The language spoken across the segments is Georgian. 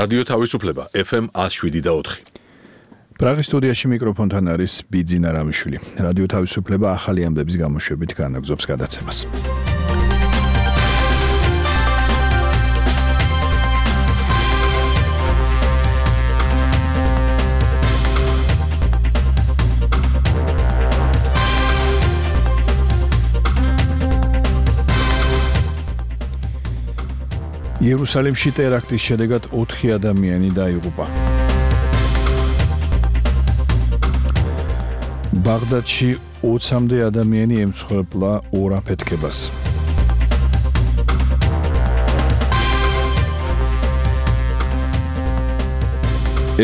რადიო თავისუფლება FM 107.4. პრაღის სტუდიაში მიკროფონთან არის ბიძინა რამიშვილი. რადიო თავისუფლება ახალი ამბების გამოშვებით განაგრძობს გადაცემას. იერუსალიმში ტერაქტის შედეგად 4 ადამიანი დაიღუპა. ბაღდადში 20-მდე ადამიანი ემცხვერპლა ორ აფეთქებას.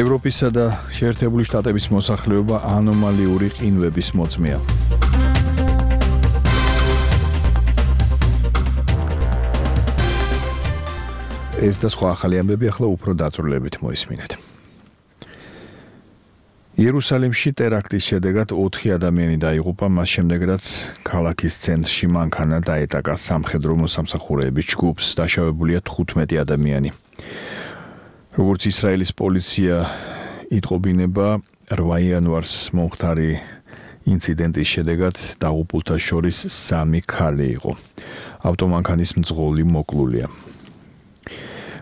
ევროპისა და შეერთებული შტატების მოსახლეობა ანომალიური ყინვების მოწმეა. ეს და სხვა ახალი ამბები ახლა უფრო დაწვრილებით მოისმინეთ. იერუსალიმში ტერაქტის შედეგად 4 ადამიანი დაიღუპა, მას შემდეგ რაც ქალაქის ცენტრში მანქანა დაეტაკა სამხედრო მოსამსახურეების ჯგუფს, დაშავებულია 15 ადამიანი. როგორც ისრაელის პოლიცია იტყობინება, 8 იანვარს მომხდარი ინციდენტის შედეგად დაღუპულთა შორის 3 ქალი იყო. ავტომანქანის მძღოლი მოკლულია.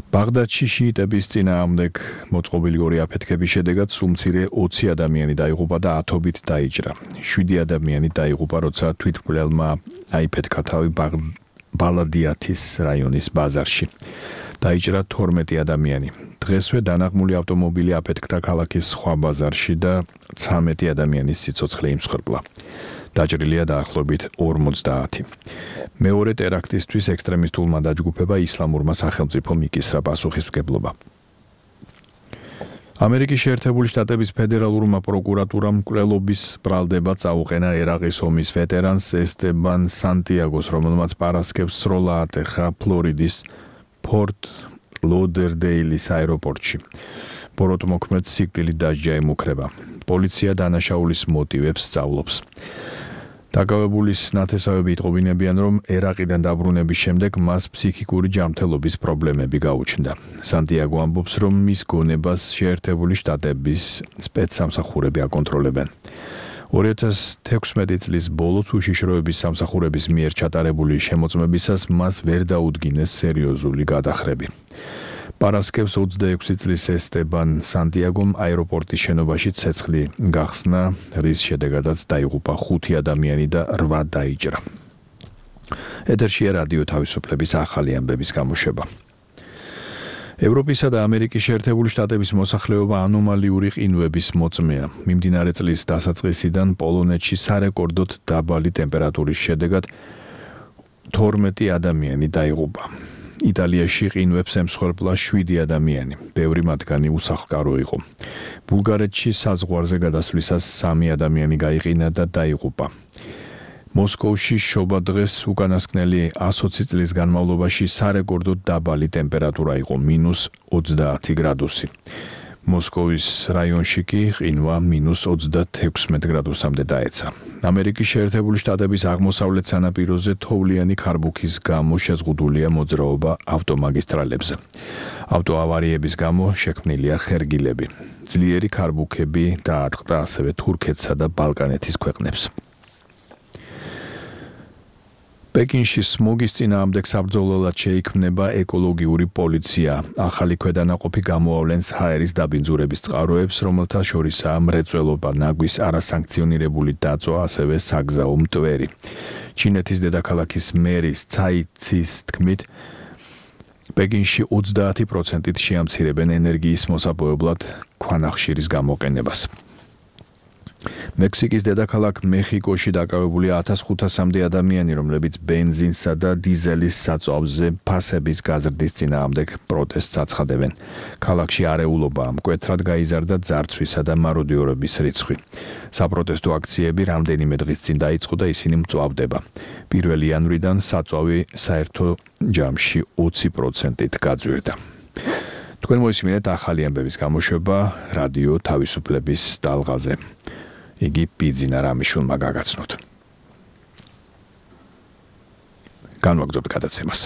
ბაღდადში შიიტების წინააღმდეგ მოწყობილი ორი აფეთქების შედეგად სულ მცირე 20 ადამიანი დაიღუპა და ათობით დაიჭრა. 7 ადამიანი დაიღუპა, როცა თვითმკვლელმა აიფეთქა თავი ბალადიათის რაიონის ბაზარში. დაიჭრა 12 ადამიანი. დღესვე დანაღმული ავტომობილი აფეთქდა ქალაქის სხვა ბაზარში და 13 ადამიანის სიცოცხლე იმსხვერპლა. დაჭრილია დაახლოებით 50. მეორე ტერაქტისთვის ექსტრემისტულმა დაჯგუფება ისლამურმა სახელმწიფომ იკისრა პასუხისმგებლობა. ამერიკის შეერთებული შტატების ფედერალურმა პროკურატურამ მკვლელობის ბრალდება წაუყენა ერაყის ომის ვეტერანს ესტებან სანტიაგოს, რომელმაც პარასკევს სროლა ატეხა ფლორიდის ფორტ ლოდერდეილის აეროპორტში. ბოროტმოქმედს სიკვდილით დასჯა ემუქრება. პოლიცია დანაშაულის მოტივებს სწავლობს. დაკავებულის ნათესავები იტყობინებიან, რომ ერაყიდან დაბრუნების შემდეგ მას ფსიქიკური ჯანმრთელობის პრობლემები გაუჩნდა. სანტიაგო ამბობს, რომ მის გონებას შეერთებული შტატების სპეცსამსახურები აკონტროლებენ. 2016 წლის ბოლოს უშიშროების სამსახურების მიერ ჩატარებული შემოწმებისას მას ვერ დაუდგინეს სერიოზული გადახრები. პარასკევს 26 წლის ესტებან სანტიაგომ აეროპორტის შენობაში ცეცხლი გახსნა, რის შედეგადაც დაიღუპა 5 ადამიანი და 8 დაიჭრა. ეთერშია რადიო თავისუფლების ახალი ამბების გამოშვება. ევროპისა და ამერიკის შეერთებული შტატების მოსახლეობა ანომალიური ყინვების მოწმეა. მიმდინარე წლის დასაწყისიდან პოლონეთში სარეკორდოდ დაბალი ტემპერატურის შედეგად 12 ადამიანი დაიღუპა. იტალიაში ყინვებს ემსხვერპლა 7 ადამიანი, ბევრი მათგანი უსახლკარო იყო. ბულგარეთში საზღვარზე გადასვლისას 3 ადამიანი გაიყინა და დაიღუპა. მოსკოვში შობა დღეს უკანასკნელი 120 წლის განმავლობაში სარეკორდოდ დაბალი ტემპერატურა იყო, -20 გრადუსი. მოსკოვის რაიონში კი ყინვა -36 გრადუსამდე დაეცა. ამერიკის შეერთებული შტატების აღმოსავლეთ სანაპიროზე თოვლიანი ქარბუქის გამო შეზღუდულია მოძრაობა ავტომაგისტრალებზე. ავტოავარიების გამო შექმნილია ხერგილები. ძლიერი ქარბუქები დაატყდა ასევე თურქეთსა და ბალკანეთის ქვეყნებს. პეკინში სმოგის წინააღმდეგ საბრძოლველად შეიქმნება ეკოლოგიური პოლიცია. ახალი ქვედანაყოფი გამოავლენს ჰაერის დაბინძურების წყაროებს, რომელთა შორისაა მრეწველობა, ნაგვის არასანქციონირებული დაწვა, ასევე საგზაო მტვერი. ჩინეთის დედაქალაქის მერის ცაი ცის თქმით, პეკინში 30%-ით შეამცირებენ ენერგიის მოსაპოვებლად ქვანახშირის გამოყენებას. მექსიკის დედაქალაქ მეხიკოში დაკავებულია 1500-მდე ადამიანი, რომლებიც ბენზინსა და დიზელის საწვავზე ფასების გაზრდის წინააღმდეგ პროტესტს აცხადებენ. ქალაქში არეულობაა, მკვეთრად გაიზარდა ძარცვისა და მაროდიორების რიცხვი. საპროტესტო აქციები რამდენიმე დღის წინ დაიწყო და ისინი მწვავდება. 1 იანვრიდან საწვავი საერთო ჯამში 20%-ით გაძვირდა. თქვენ მოისმინეთ ახალი ამბების გამოშვება რადიო თავისუფლების ტალღაზე. იგი ბიძინა რამიშვილმა გაგაცნოთ. განვაგრძობთ გადაცემას.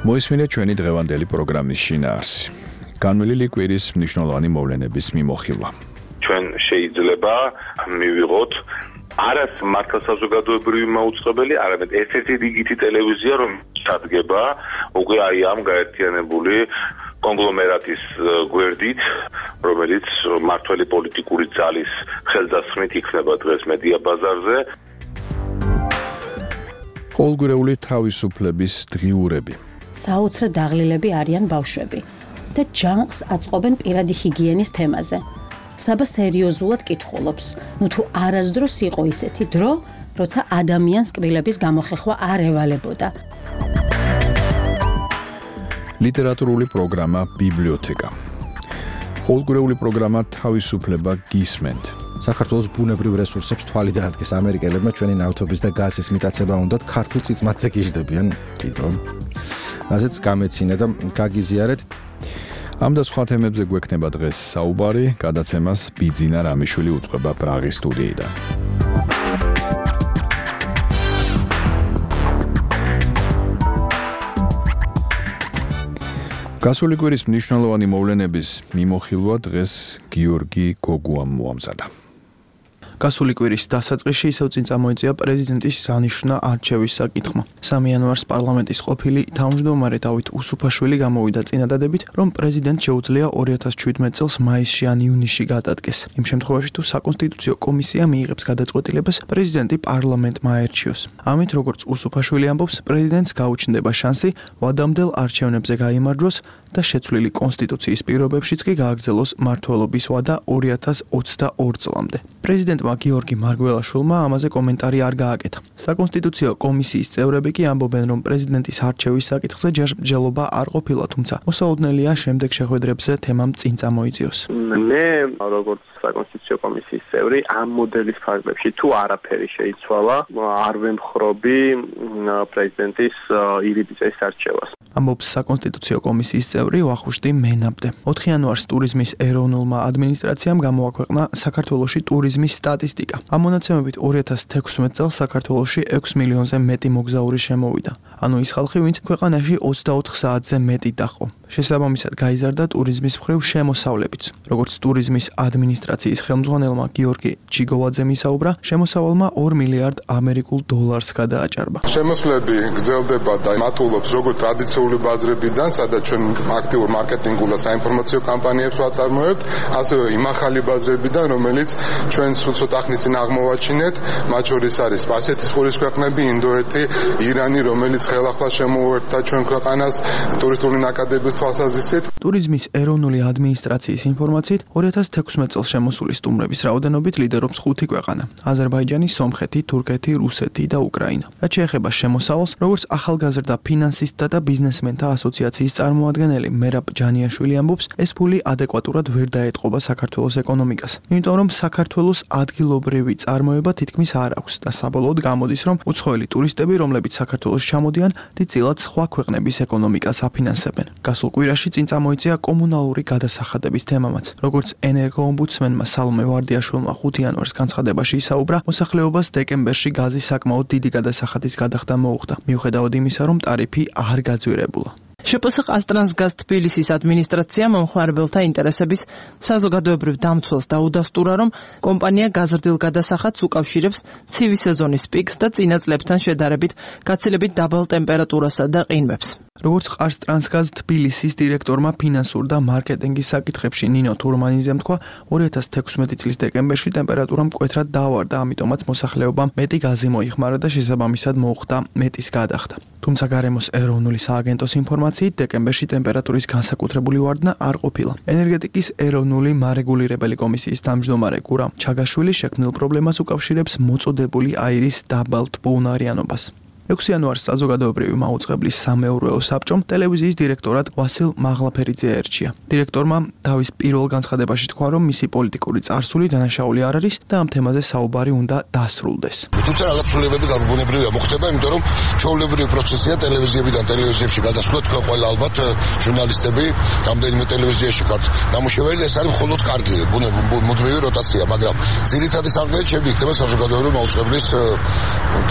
მოისმინეთ ჩვენი დღევანდელი პროგრამის შინაარსი. განვლილი კვირის მნიშვნელოვანი მოვლენების მიმოხილვა. ჩვენ შეიძლება მივიღოთ არას მართლსაზოგადოებრივი მაუწყებელი, არამედ ერთ-ერთი რიგითი ტელევიზია, რომელიც სადგება უკვე აი ამ გაერთიანებული კონგლომერატის გვერდით, რომელიც მართველი პოლიტიკური ძალის ხელდასხმით იქნება დღეს მედია ბაზარზე. ყოველგვარეული თავისუფლების დღიურები. საოცრად დაღლილები არიან ბავშვები და ჯანყს აწყობენ პირადი ჰიგიენის თემაზე. საბა სერიოზულად კითხულობს, თუ არასდროს იყო ისეთი დრო, როცა ადამიანს კბილების გამოხეხვა არ ევალებოდა. ლიტერატურული პროგრამა ბიბლიოთეკა. ყოველგვარეული პროგრამა თავისუფლება გისმენთ. საქართველოს ბუნებრივ რესურსებს თვალი დაადგეს ამერიკელებმა ჩვენი ნავთობის და გაზის მიტაცება უნდათ ქართულ წიწმათზე გიждდებიან კიდო. რაზეც გამეცინა და გაგიზიარეთ. ამ და სხვა თემებზე გვექნება დღეს საუბარი, გადაცემას ბიძინა რამიშვილი უწყება პრაღის სტუდიიდან. გასული კვირის მნიშვნელოვანი მოვლენების მიმოხილვა დღეს გიორგი გოგუამ მოამზადა. გასული კვირის დასაწყისში ისევ წინ წამოიწია პრეზიდენტის სანიშნა არჩევის საკითხმა. 3 იანვარს პარლამენტის ყოფილი თავმჯდომარე დავით უსუფაშვილი გამოვიდა წინადადებით, რომ პრეზიდენტს შეუძლია 2017 წელს მაისში ან ივნისში გადადგეს. იმ შემთხვევაში თუ საკონსტიტუციო კომისია მიიღებს გადაწყვეტილებას, პრეზიდენტი პარლამენტმა აერჩიოს. ამით, როგორც უსუფაშვილი ამბობს, პრეზიდენტს გაუჩნდება შანსი ვადამდელ არჩევნებზე გაიმარჯვოს და შეცვლილი კონსტიტუციის პირობებშიც კი გააგრძელოს მმართველობის ვადა 2022 წლამდე. პრეზიდენტმა გიორგი მარგველაშვილმა ამაზე კომენტარი არ გააკეთა. საკონსტიტუციო კომისიის წევრები კი ამბობენ, რომ პრეზიდენტის არჩევის საკითხზე ჯერჯერობა არ ყოფილა, თუმცა მოსაოდნელია შემდეგ შეხვედრებზე თემამ წინ წამოიწიოს. მე როგორც საკონსტიტუციო კომისიის წევრი ამ მოდელის ფარგლებში თუ არაფერი შეიცვალა, არ ვემხრობი პრეზიდენტის ირიბიძის არჩევას. ამბობს საკონსტიტუციო კომისიის წევრი ვახუშტი მენაბდე. 4 იანვარს ტურიზმის ეროვნულმა ადმინისტრაციამ გამოაქვეყნა საქართველოში ტურიზმის სტატისტიკა. ამ მონაცემებით 2016 წელს საქართველოში 6 მილიონზე მეტი მოგზაური შემოვიდა. ანუ ის ხალხი, ვინც ქვეყანაში 24 საათზე მეტი დაყო. შესაბამისად გაიზარდა ტურიზმის მხრივ შემოსავლებიც. როგორც ტურიზმის ადმინისტრაციის ხელმძღვანელმა გიორგი ჩიგოვაძემ ისაუბრა, შემოსავალმა 2 მილიარდ ამერიკულ დოლარს გადააჭარბა. შემოსვლები გრძელდება და მატულობს როგორც ტრადიციული ბაზრებიდან, სადაც ჩვენ აქტიურ მარკეტინგულ და საინფორმაციო კამპანიებს ვაწარმოებთ, ასევე იმ ახალი ბაზრებიდან, რომელიც ჩვენ სულ ცოტა ხნის წინ აღმოვაჩინეთ, მათ შორის არის სპარსეთის ყურის ქვეყნები, ინდოეთი, ირანი, რომელიც ხელახლა შემოუერთდა ჩვენ ქვეყანას ტურისტული ნაკადების თვალსაზრისით. ტურიზმის ეროვნული ადმინისტრაციის ინფორმაციით 2016 წელს შემოსული სტუმრების რაოდენობით ლიდერობს 5 ქვეყანა: აზერბაიჯანი, სომხეთი, თურქეთი, რუსეთი და უკრაინა. რაც შეეხება შემოსავალს, როგორც ახალგაზრდა ფინანსისტთა და ბიზნესმენთა ასოციაციის წარმომადგენელი მერაბ ჯანიაშვილი ამბობს, ეს ფული ადეკვატურად ვერ დაეტყობა საქართველოს ეკონომიკას. იმიტომ რომ საქართველოს ადგილობრივი წარმოება თითქმის არ აქვს და საბოლოოდ გამოდის, რომ უცხოელი ტურისტები, რომლებიც საქართველოს ჩამოდიან, დიდწილად სხვა ქვეყნების ეკონომიკას აფინანსებენ. გასულ კვირაში წინ წამოიწია კომუნალური გადასახადების თემამაც. როგორც ენერგოომბუდსმენმა სალომე ვარდიაშვილმა 5 იანვარს განცხადებაში ისაუბრა, მოსახლეობას დეკემბერში გაზის საკმაოდ დიდი გადასახადის გადახდა მოუხდა, მიუხედავად იმისა, რომ ტარიფი არ გაძვირებულა. შპს ყაზტრანსგაზ თბილისის ადმინისტრაცია მომხმარებელთა ინტერესების საზოგადოებრივ დამცველს დაუდასტურა, რომ კომპანია გაზრდილ გადასახადს უკავშირებს ცივი სეზონის პიკს და წინა წლებთან შედარებით გაცილებით დაბალ ტემპერატურასა და ყინვებს. როგორც ყაზტრანსგაზ თბილისის დირექტორმა ფინანსურ და მარკეტინგის საკითხებში ნინო თურმანიძემ თქვა, 2016 წლის დეკემბერში ტემპერატურა მკვეთრად დაავარდა, ამიტომაც მოსახლეობამ მეტი გაზი მოიხმარა და შესაბამისად მოუხდა მეტის გადახდა. თუმცა გარემოს ეროვნული სააგენტოს ინფორმაციით, დეკემბერში ტემპერატურის განსაკუთრებული ვარდნა არ ყოფილა. ენერგეტიკის ეროვნული მარეგულირებელი კომისიის თავმჯდომარე გურამ ჩაგაშვილი შექმნილ პრობლემას უკავშირებს მოწოდებული აირის დაბალ ტბოუნარიანობას. 6 იანვარს საზოგადოებრივი მაუწყებლის სამეურვეო საბჭომ ტელევიზიის დირექტორად ვასილ მაღლაფერიძე ერჩია. დირექტორმა თავის პირველ განცხადებაში თქვა, რომ მისი პოლიტიკური წარსული დანაშაული არ არის და ამ თემაზე საუბარი უნდა დასრულდეს. თუმცა რაღაც ცვლილებები განსხვავებებია მოხდება, იმიტომ რომ ჩვეულებრივი პროცესია ტელევიზიებიდან ტელევიზიებში გადასვლა, თქვენ ყველა ალბათ ჟურნალისტები რამდენიმე ტელევიზიაში ხართ დამუშავებელი, ეს არის მხოლოდ კარგი მუდმივი როტაცია, მაგრამ ძირითადი საგნებით შემდეგ იქნება საზოგადოებრივი მაუწყებლის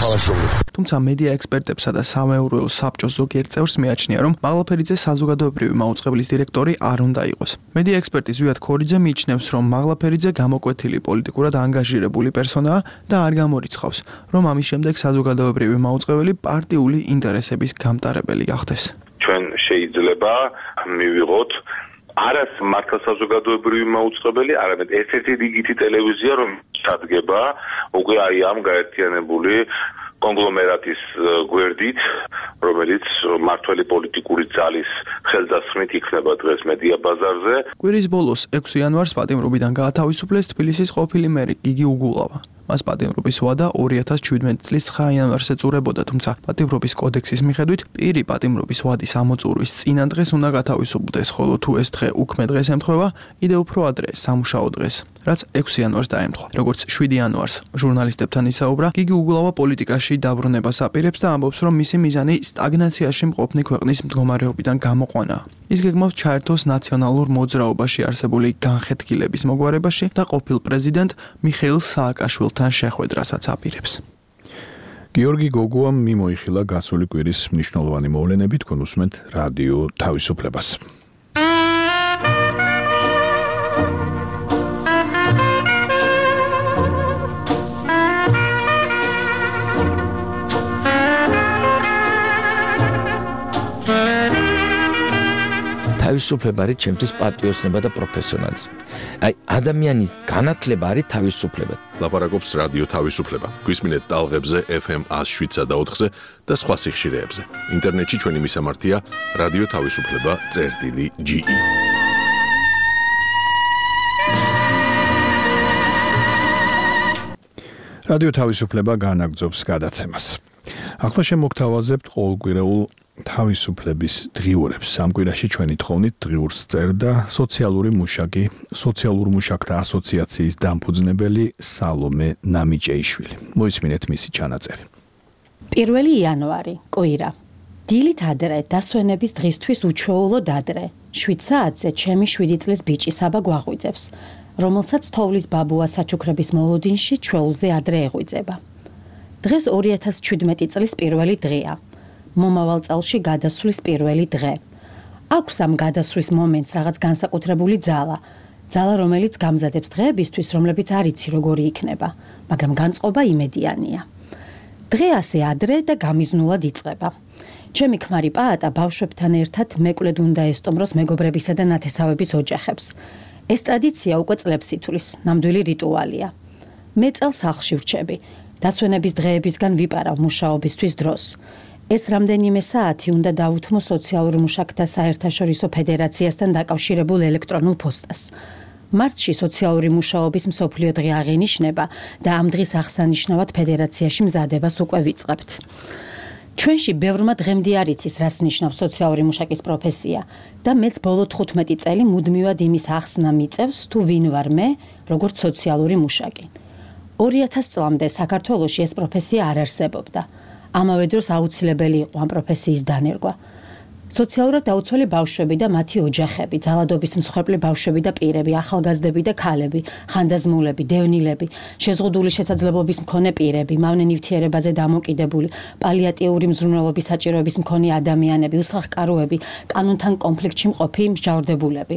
თანაშრომლობა. თუმცა მედია ექსპერტებსა და სამეურვეო საბჭოს ზოგიერთ წევრს მიაჩნია, რომ მაღლაფერიძე საზოგადოებრივი მაუწყებლის დირექტორი არ უნდა იყოს. მედია ექსპერტი ზვიად ქორიძე მიიჩნევს, რომ მაღლაფერიძე გამოკვეთილი პოლიტიკურად ანგაჟირებული პერსონაა და არ გამორიცხავს, რომ ამის შემდეგ საზოგადოებრივი მაუწყებელი პარტიული ინტერესების გამტარებელი გახდეს. ჩვენ შეიძლება მივიღოთ არას მართლა საზოგადოებრივი მაუწყებელი, არამედ ესეთი რიგითი ტელევიზია, რომ ჩადგება უკვე აი ამ გაერთიანებული კონგლომერატის გვერდით, რომელიც მართველი პოლიტიკური ძალის ხელდასხმით იქნება დღეს მედია ბაზარზე. კვირის ბოლოს 6 იანვარს პატიმრობიდან გაათავისუფლეს თბილისის ყოფილი მერი გიგი უგულავა. მას პატიმრობის ვადა 2017 წლის 9 იანვარს ეწურებოდა, თუმცა პატიმრობის კოდექსის მიხედვით პირი პატიმრობის ვადის ამოწურვის წინა დღეს უნდა გათავისუფლდეს, ხოლო თუ ეს დღე უქმე დღეს ემთხვევა, კიდევ უფრო ადრე სამუშაო დღეს, რაც 6 იანვარს დაემთხვა. როგორც 7 იანვარს ჟურნალისტებთან ისაუბრა, გიგი უგულავა პოლიტიკაში დაბრუნებას აპირებს და ამბობს, რომ მისი მიზანი სტაგნაციაში მყოფნი ქვეყნის მდგომარეობიდან გამოყვანაა. ის გეგმავს ჩაერთოს ნაციონალურ მოძრაობაში არსებული განხეთქილების მოგვარებაში და ყოფილ პრეზიდენტ მიხეილ სააკაშვილთან შეხვედრასაც აპირებს. გიორგი გოგუამ მიმოიხილა გასული კვირის მნიშვნელოვანი მოვლენები, თქვენ უსმენთ რადიო თავისუფლებას. თავისუფლება არის ჩემთვის პატრიოტიზმი და პროფესიონალიზმი. აი ადამიანის განათლება არის თავისუფლება. ლაპარაკობს რადიო თავისუფლება. გვისმინეთ ტალღებზე FM 107.4-ზე და სხვა სიხშირეებზე. ინტერნეტში ჩვენი მისამართია რადიო თავისუფლება.ge. რადიო თავისუფლება განაგრძობს გადაცემას. ახლა შემოგთავაზებთ ყოველკვირეულ თავისუფლების დღიურებს. ამ კვირაში ჩვენი თხოვნით დღიურს წერდა სოციალური მუშაკი, სოციალურ მუშაკთა ასოციაციის დამფუძნებელი სალომე ნამიჭეიშვილი. მოისმინეთ მისი ჩანაწერი. 1 იანვარი, კვირა. დილით ადრე, დასვენების დღისთვის უჩვეულოდ ადრე. 7 საათზე ჩემი 7 წლის ბიჭი საბა გვაღვიძებს, რომელსაც თოვლის ბაბუა საჩუქრების მოლოდინში ჩვეულზე ადრე ეღვიძება. დღეს 2017 წლის პირველი დღეა. მომავალ წელში გადასვლის პირველი დღე. აქვს ამ გადასვლის მომენტს რაღაც განსაკუთრებული ძალა, რომელიც გამზადებს დღეებისთვის, რომლებიც არ იცი როგორი იქნება, მაგრამ განწყობა იმედიანია. დღე ასე ადრე და გამიზნულად იწყება. ჩემი ქმარი პაატა ბავშვებთან ერთად მეკვლედ უნდა ესტუმროს მეგობრებისა და ნათესავების ოჯახებს. ეს ტრადიცია უკვე წლებს ითვლის, ნამდვილი რიტუალია. მე წელს სახლში ვრჩები, დასვენების დღეებისგან ვიპარავ მუშაობისთვის დროს. ეს რამდენიმე საათი უნდა დავუთმო სოციალურ მუშაკთა საერთაშორისო ფედერაციასთან დაკავშირებულ ელექტრონულ პოსტას. მარტში სოციალური მუშაობის მსოფლიო დღე აღინიშნება და ამ დღის აღსანიშნავად ფედერაციაში მზადებას უკვე ვიწყებთ. ჩვენში ბევრმა დღემდე არ იცის, რას ნიშნავს სოციალური მუშაკის პროფესია და მეც ბოლო 15 წელი მუდმივად იმის ახსნა მიწევს, თუ ვინ ვარ მე, როგორც სოციალური მუშაკი. 2000 წლამდე საქართველოში ეს პროფესია არ არსებობდა. ამავე დროს აუცილებელი იყო ამ პროფესიის დანერგვა. სოციალურად დაუცველი ბავშვები და მათი ოჯახები, ძალადობის მსხვერპლი ბავშვები და პირები, ახალგაზრდები და ქალები, ხანდაზმულები, დევნილები, შეზღუდული შესაძლებლობის მქონე პირები, მავნე ნივთიერებაზე დამოკიდებული, პალიატიური მზრუნველობის საჭიროების მქონე ადამიანები, უსახკაროები, კანონთან კონფლიქტში მყოფი მსჯავრდებულები.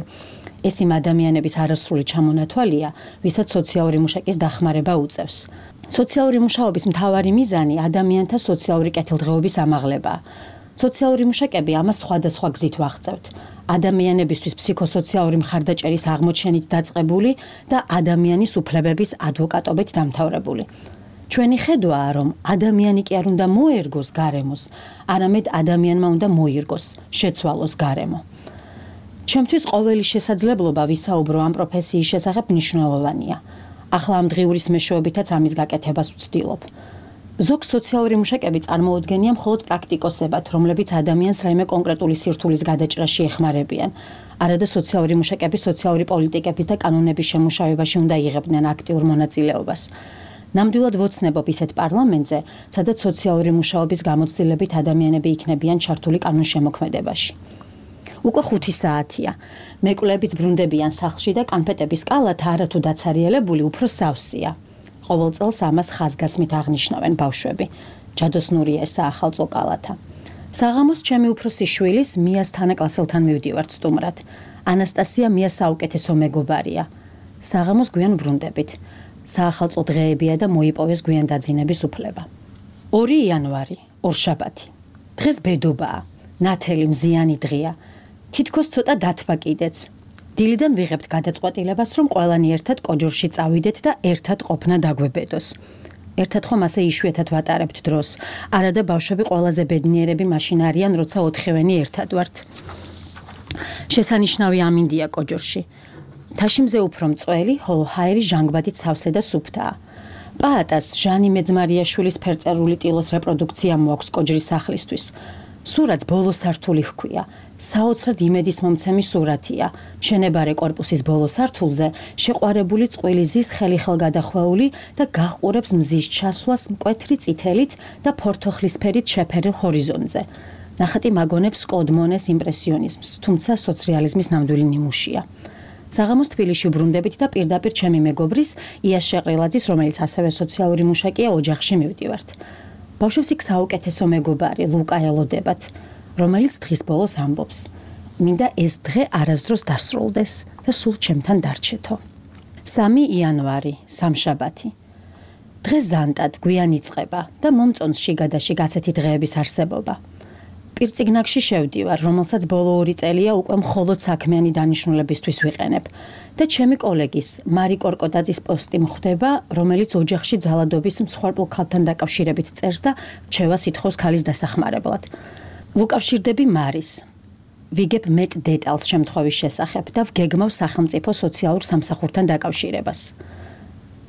ეს იმ ადამიანების არასრული ჩამონათვალია, ვისაც სოციალური მუშაკის დახმარება უწევს. სოციალური მუშაობის მთავარი მიზანი ადამიანთა სოციალური კეთილდღეობის ამაღლებაა. სოციალური მუშაკები ამას სხვადასხვა გზით ვაღწევთ. ადამიანებისთვის ფსიქოსოციალური მხარდაჭერის აღმოჩენით დაწყებული და ადამიანის უფლებების ადვოკატობით დამთავრებული. ჩვენი ხედვაა, რომ ადამიანი კი არ უნდა მოერგოს გარემოს, არამედ ადამიანმა უნდა მოირგოს, შეცვალოს გარემო. ჩემთვის ყოველი შესაძლებლობა ვისაუბრო ამ პროფესიის შესახებ მნიშვნელოვანია. ახლა ამ დღიურის მეშვეობითაც ამის გაკეთებას ვცდილობ. ზოგ სოციალური მუშაკები წარმოუდგენია მხოლოდ პრაქტიკოსებად, რომლებიც ადამიანს რაიმე კონკრეტული სირთულის გადაჭრაში ეხმარებიან. არადა სოციალური მუშაკები სოციალური პოლიტიკების და კანონების შემუშავებაში უნდა იღებდნენ აქტიურ მონაწილეობას. ნამდვილად ვოცნებობ ისეთ პარლამენტზე, სადაც სოციალური მუშაობის გამოცდილებით ადამიანები იქნებიან ჩართული კანონშემოქმედებაში. უკვე 5 საათია. მეკვლეებიც ბრუნდებიან სახლში და კანფეტების კალათა არათუ დაცარიელებული უფრო სავსეა. ყოველ წელს ამას ხაზგასმით აღნიშნავენ ბავშვები. ჯადოსნურია ესა ახალწო კალათა. საღამოს ჩემი უფროსი შვილის მიას თანაკლასელთან მივდივართ სტუმრად. ანასტასია მიას საუკეთესო მეგობარია. საღამოს გვიან ბრუნდებით. საახალწლო დღეებია და მოიპოვეს გვიან დაძინების უფლება. 2 იანვარი, ორშაბათი. დღეს ბედობაა. ნათელი მზიანი დღეა. თითქოს ცოტა დათვა კიდეც. დილიდან ვიღებთ გადაწყვეტილებას, რომ ყველანი ერთად კოჯორში წავიდეთ და ერთად ყოფნა დაგვებედოს. ერთად ხომ ასე იშვიათად ვატარებთ დროს. არა და ბავშვები ყველაზე ბედნიერები მაშინ არიან, როცა 4-ვენი ერთად ვართ. შესანიშნავი ამინდია კოჯორში. თაშიმზე უფრო მწველი, ხოლო ჰაერი ჟანგბადით სავსე და სუფთაა. პაატას ჟანი მეძმარიაშვილის ფერწერული ტილოს რეპროდუქცია მოაქვს კოჯრის სახლისთვის. სურათს ბოლო სართული ჰქვია. საოცრად იმედის მომცემი სურათია. მშენებარე კორპუსის ბოლო სართულზე შეყვარებული წყვილი ზის ხელიხელგადახვეული და გაჰყურებს მზის ჩასვას მკვეთრი წითელით და ფორთოხლისფერით შეფერილ ჰორიზონტზე. ნახატი მაგონებს კლოდ მონეს იმპრესიონიზმს, თუმცა სოციალიზმის ნამდვილი ნიმუშია. საღამოს თბილისში ბრუნდებით და პირდაპირ ჩემი მეგობრის იას შეყრილაძის, რომელიც ასევე სოციალური მუშაკია, ოჯახში მივდივართ. ბავშვებს იქ საუკეთესო მეგობარი ლუკა ელოდებათ, რომელიც დღის ბოლოს ამბობს: მინდა ეს დღე არასდროს დასრულდეს და სულ ჩემთან დარჩეთო. 3 იანვარი, სამშაბათი. დღე ზანტად გვიან იწყება და მომწონს შიგადაში გაცეთი დღეების არსებობა. პირწიგნაკში შევდივარ, რომელსაც ბოლო 2 წელია უკვე მხოლოდ საქმიანი დანიშნულებისთვის ვიყენებ და ჩემი კოლეგის მარი კორკოდაძის პოსტი მხვდება, რომელიც ოჯახში ძალადობის მსხვერპლ ქალთან დაკავშირებით წერს და რჩევას ითხოვს ქალის დასახმარებლად. ვუკავშირდები მარის. ვიგებ მეტ დეტალს შემთხვევის შესახებ და ვგეგმავ სახელმწიფო სოციალურ სამსახურთან დაკავშირებას.